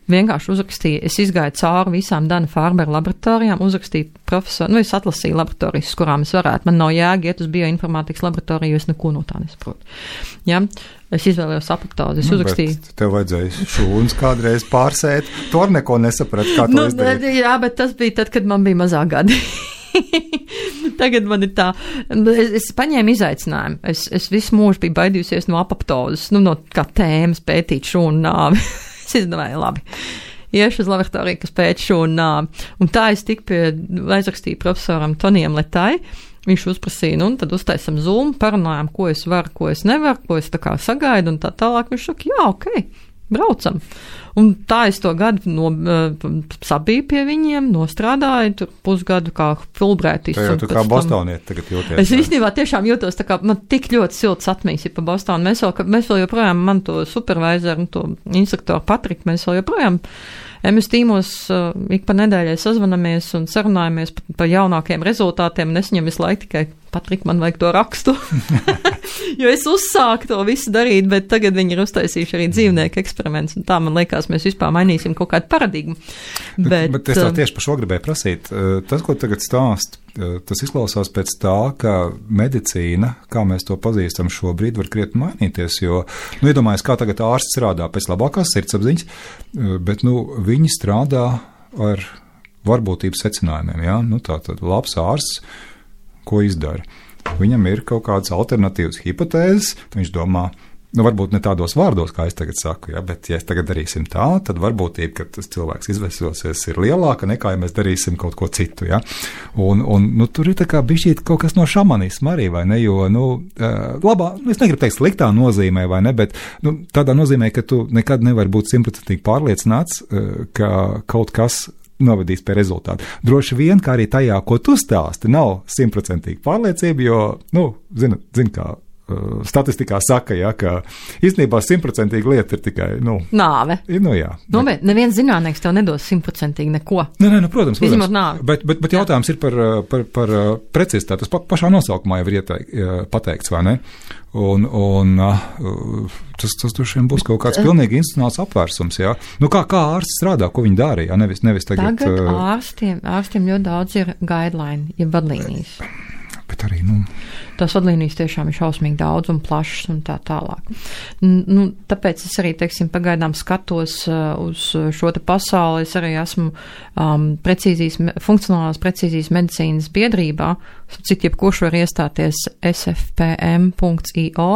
Speaker 4: Vienkārši uzrakstīju, es izgāju cauri visām Dana Farbera laboratorijām, uzrakstīju profesoru, es atlasīju laboratorijas, kurām es varētu, man nav jēga iet uz bioinformātikas laboratoriju, jo es neko no tā nesaprotu. Ja? Es izvēlējos apoptozi, es uzrakstīju.
Speaker 3: Tev vajadzēja šūnas kādreiz pārsēt, tu ar neko nesaprat, kā to izdarīt.
Speaker 4: Jā, bet tas bija tad, kad man bija mazāk gadi. Tagad man ir tā, es paņēmu izaicinājumu, es visu mūžu biju baidījusies no apoptozes, no kā tēmas pētīt šūnu nāvi. Es izdomāju, labi, iešu uz laboratoriju, kas pēc šūnu nāvi. Un tā es aizrakstīju profesoram Tonijam Letai, viņš uzprasīja, un tad uztaisam Zoom, parunājām, ko es varu, ko es nevaru, ko es tā kā sagaidu, un tā tālāk viņš saka, jā, ok, braucam. Un tā es to gadu sabiju pie viņiem, nostrādāju, tur pusgadu kā Fulbrightis.
Speaker 3: Tu kā bostoniet tagad jūties.
Speaker 4: Es īstenībā tiešām jūtos tā kā, man tik ļoti silts atmiņas ir pa Bostonu. Mēs vēl joprojām, man to supervisoru un to instruktoru Patriku, mēs vēl joprojām MS tīmos ik pa nedēļai sazvanamies un sarunājamies par jaunākiem rezultātiem, un es viņam visu laiku tikai Patrik, man vajag to rakstu. Jo es uzsāku to visu darīt, bet tagad viņi ir uztaisījuši arī dzīvnieku eksperiments, un tā man liekas, mēs vispār mainīsim kaut kādu paradigmu.
Speaker 3: Bet es tā tieši par šo gribēju prasīt. Tas, ko tagad stāst, tas izklausās pēc tā, ka medicīna, kā mēs to pazīstam šobrīd, var krietni mainīties, jo, iedomājies, kā tagad ārsts strādā pēc labākās sirdsapziņas, bet, viņi strādā ar varbūtības secinājumiem, jā, tātad labs ārsts, ko izdara. Viņam ir kaut kādas alternatīvas hipotēzes, viņš domā, varbūt ne tādos vārdos, kā es tagad saku, ja, bet ja es tagad darīsim tā, tad varbūtība, ka tas cilvēks izvesosies, ir lielāka nekā, ja mēs darīsim kaut ko citu, ja. Un tur ir tā kā bišķīt kaut kas no šamanisma arī, vai ne, jo, labā, es negribu teikt sliktā nozīmē, vai ne, bet, tādā nozīmē, ka tu nekad nevari būt 100% pārliecināts, ka kaut kas novadīs pie rezultātu. Droši vien, kā arī tajā, ko tu stāsti, nav 100% pārliecība, jo, zin kā statistikā saka, ja, ka īstenībā 100% lieta ir tikai,
Speaker 4: nāve.
Speaker 3: Jā.
Speaker 4: Bet neviens zinātnieks tev nedos 100% neko.
Speaker 3: Nē, protams.
Speaker 4: Izņemot nāvi.
Speaker 3: Bet jautājums ir par precizitāti. Tas pašā nosaukumā jau ir pateikts, vai ne? Un tas droši vien būs kaut kāds pilnīgi institucionāls apvērsums, jā. Kā ārsts strādā, ko viņi dara, jā, nevis tagad.
Speaker 4: Tagad ārstiem ļoti daudz ir guideline, ja vadlīnijas.
Speaker 3: Bet arī,
Speaker 4: Tās vadlīnijas tiešām ir šausmīgi daudz un plašas un tā tālāk. Tāpēc es arī, pagaidām skatos uz šo te pasauli. Es arī esmu funkcionālās precīzijas medicīnas biedrībā, cik jebkurš var iestāties sfpm.io.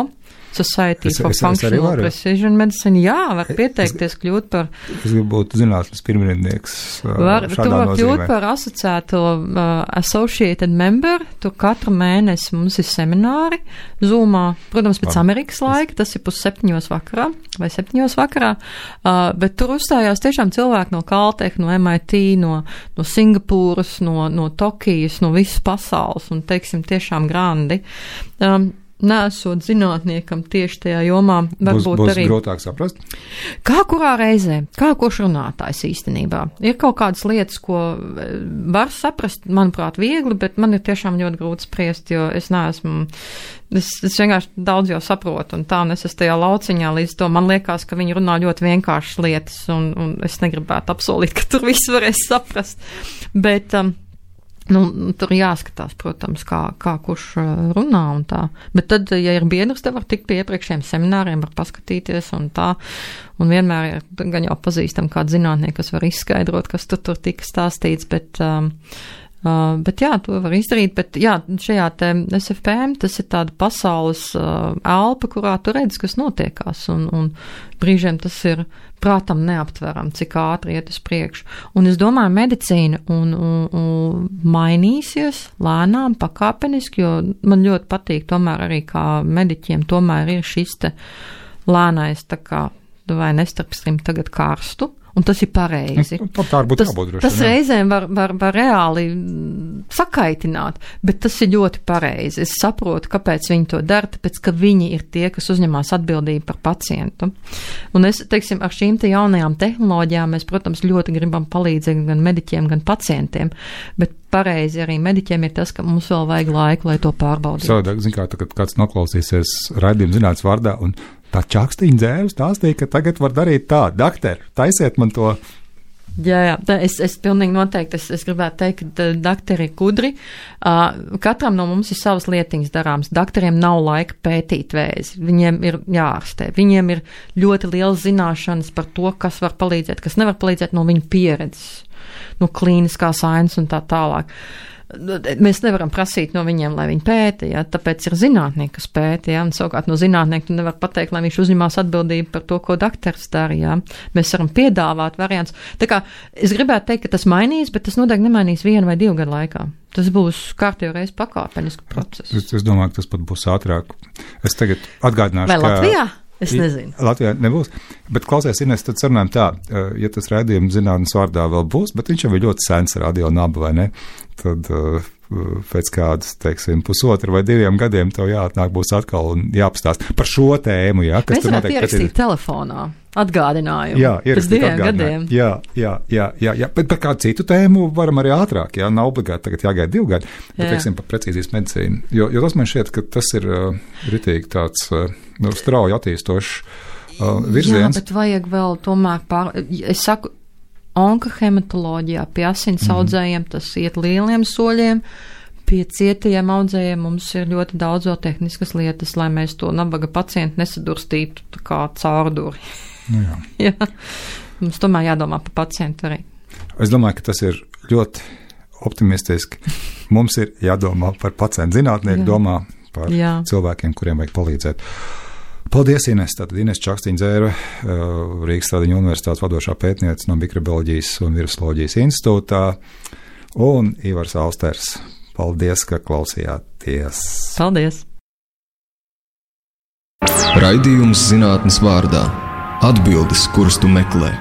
Speaker 4: Society for Functional Precision Medicine. Jā, var pieteikties kļūt par...
Speaker 3: Es gribu būt zinātnes pirmrindnieks šādā nozīmē.
Speaker 4: Tu var kļūt par asociēto associated member. Tur katru mēnesi mums ir semināri Zoomā. Protams, pēc Amerikas laika, tas ir 6:30 vakarā vai 7:00 vakarā. Bet tur uzstājās tiešām cilvēki no Caltech, no MIT, no Singapūras, no Tokijas, no visas pasaules un, tiešām grandi. Nesot zinātniekam tieši tajā jomā, varbūt
Speaker 3: būs
Speaker 4: arī...
Speaker 3: Būs grūtāk saprast?
Speaker 4: Kā kurā reizē, kā kurš runātājs īstenībā. Ir kaut kādas lietas, ko var saprast, manuprāt, viegli, bet man ir tiešām ļoti grūti spriest, jo es neesmu... Es vienkārši daudz jau saprotu, un tā, un es esmu tajā lauciņā līdz to. Man liekas, ka viņi runā ļoti vienkāršas lietas, un es negribētu apsolīt, ka tur viss varēs saprast. Bet... tur jāskatās, protams, kā kurš runā un tā. Bet tad, ja ir biedrs, te var tikt pie iepriekšējiem semināriem, var paskatīties un tā. Un vienmēr ir gan jau pazīstam kādu zinātnieku, kas var izskaidrot, kas tur tika stāstīts, bet jā, to var izdarīt. Bet jā, šajā te SFPM tas ir tāda pasaules elpa, kurā tu redz, kas notiekās. Un brīžiem tas ir prātam neaptveram, cik ātri iet uz priekšu. Un es domāju, medicīna un mainīsies lēnām, pakāpeniski, jo man ļoti patīk tomēr arī kā mediķiem tomēr ir šis te lēnais, tā kā, vai nestarpstrim tagad karstu. Un tas ir pareizi.
Speaker 3: Tā būtu jābūt droši.
Speaker 4: Tas reizēm var reāli sakaitināt, bet tas ir ļoti pareizi. Es saprotu, kāpēc viņi to dara, tāpēc, ka viņi ir tie, kas uzņemās atbildību par pacientu. Un es, ar šīm te jaunajām tehnoloģijām mēs, protams, ļoti gribam palīdzēt gan mediķiem, gan pacientiem, bet pareizi arī mediķiem ir tas, ka mums vēl vajag laiku, lai to pārbaudītu.
Speaker 3: Savādāk, kad kāds noklausīsies raidījumu zinātnes vārdā un tā čakstīņa dzēvis stāstīja, ka tagad var darīt tā, doktor, taisiet man to.
Speaker 4: Jā, es pilnīgi noteikti, es gribētu teikt, ka doktori ir gudri. Katram no mums ir savas lietiņas darāms. Doktoriem nav laika pētīt vēzi. Viņiem ir jāārstē. Viņiem ir ļoti liels zināšanas par to, kas var palīdzēt, kas nevar palīdzēt no viņa pieredzes, no klīniskā sainas un tā tālāk. Mēs nevaram prasīt no viņiem, lai viņi pēta, ja, tāpēc ir zinātnieki, kas pēta, ja, un savukārt no zinātnieka tu nevar pateikt, lai viņš uzņemās atbildību par to, ko doktors dara, ja. Mēs varam piedāvāt variants. Tā kā es gribētu teikt, ka tas mainīs, bet tas noteikti nemainīs 1 vai 2 gadu laikā. Tas būs kārtīgi reiz pakāpenisku procesu.
Speaker 3: Es domāju, ka tas pat būs ātrāk. Es tagad atgādināšu,
Speaker 4: vai Latvijā? Es nezinu.
Speaker 3: Latvijā nebūs, bet klausies, Ines, tad sarunājam tā, ja tas raidījums zinātnes vārdā vēl būs, bet viņš jau ir ļoti sens radio naba, vai ne? Tad pēc kādas, teiksim, 1,5 vai 2 gadiem tev jāatnāk būs atkal un jāapstāst par šo tēmu, jā, kas
Speaker 4: mēs
Speaker 3: tur
Speaker 4: varētu ierakstīt telefonā atgādinājumu.
Speaker 3: Jā, ierakstīt
Speaker 4: pēc 2 gadiem.
Speaker 3: Jā, bet par kādu citu tēmu varam arī ātrāk, jā, nav obligāti tagad jāgaida 2 gadi, bet, teiksim, par precīzijas medicīnu, jo tas man šķiet, ka tas ir ritīgi tāds strauji attīstošs virziens. Jā,
Speaker 4: bet vajag vēl tomēr es saku, onkohematoloģijā pie asins audzējiem tas iet lieliem soļiem, pie cietajiem audzējiem mums ir ļoti daudz vēl tehniskas lietas, lai mēs to nabaga pacientu nesadurstītu tā kā caurduri.
Speaker 3: Nu jā.
Speaker 4: Jā. Mums tomēr jādomā par pacientu arī.
Speaker 3: Es domāju, ka tas ir ļoti optimistiski. Mums ir jādomā par pacientu. Zinātnieki domā par cilvēkiem, kuriem vajag palīdzēt. Paldies, Ines. Tātad Ines Čakstīņa-Dzēra, Rīgas Stradiņu universitātes vadošā pētniece no Mikrobioloģijas un Virusoloģijas institūtā, un Ivars Austers. Paldies, ka klausījāties.
Speaker 4: Paldies.
Speaker 1: Raidījums Zinātnes vārdā. Atbildes, kuras tu meklē.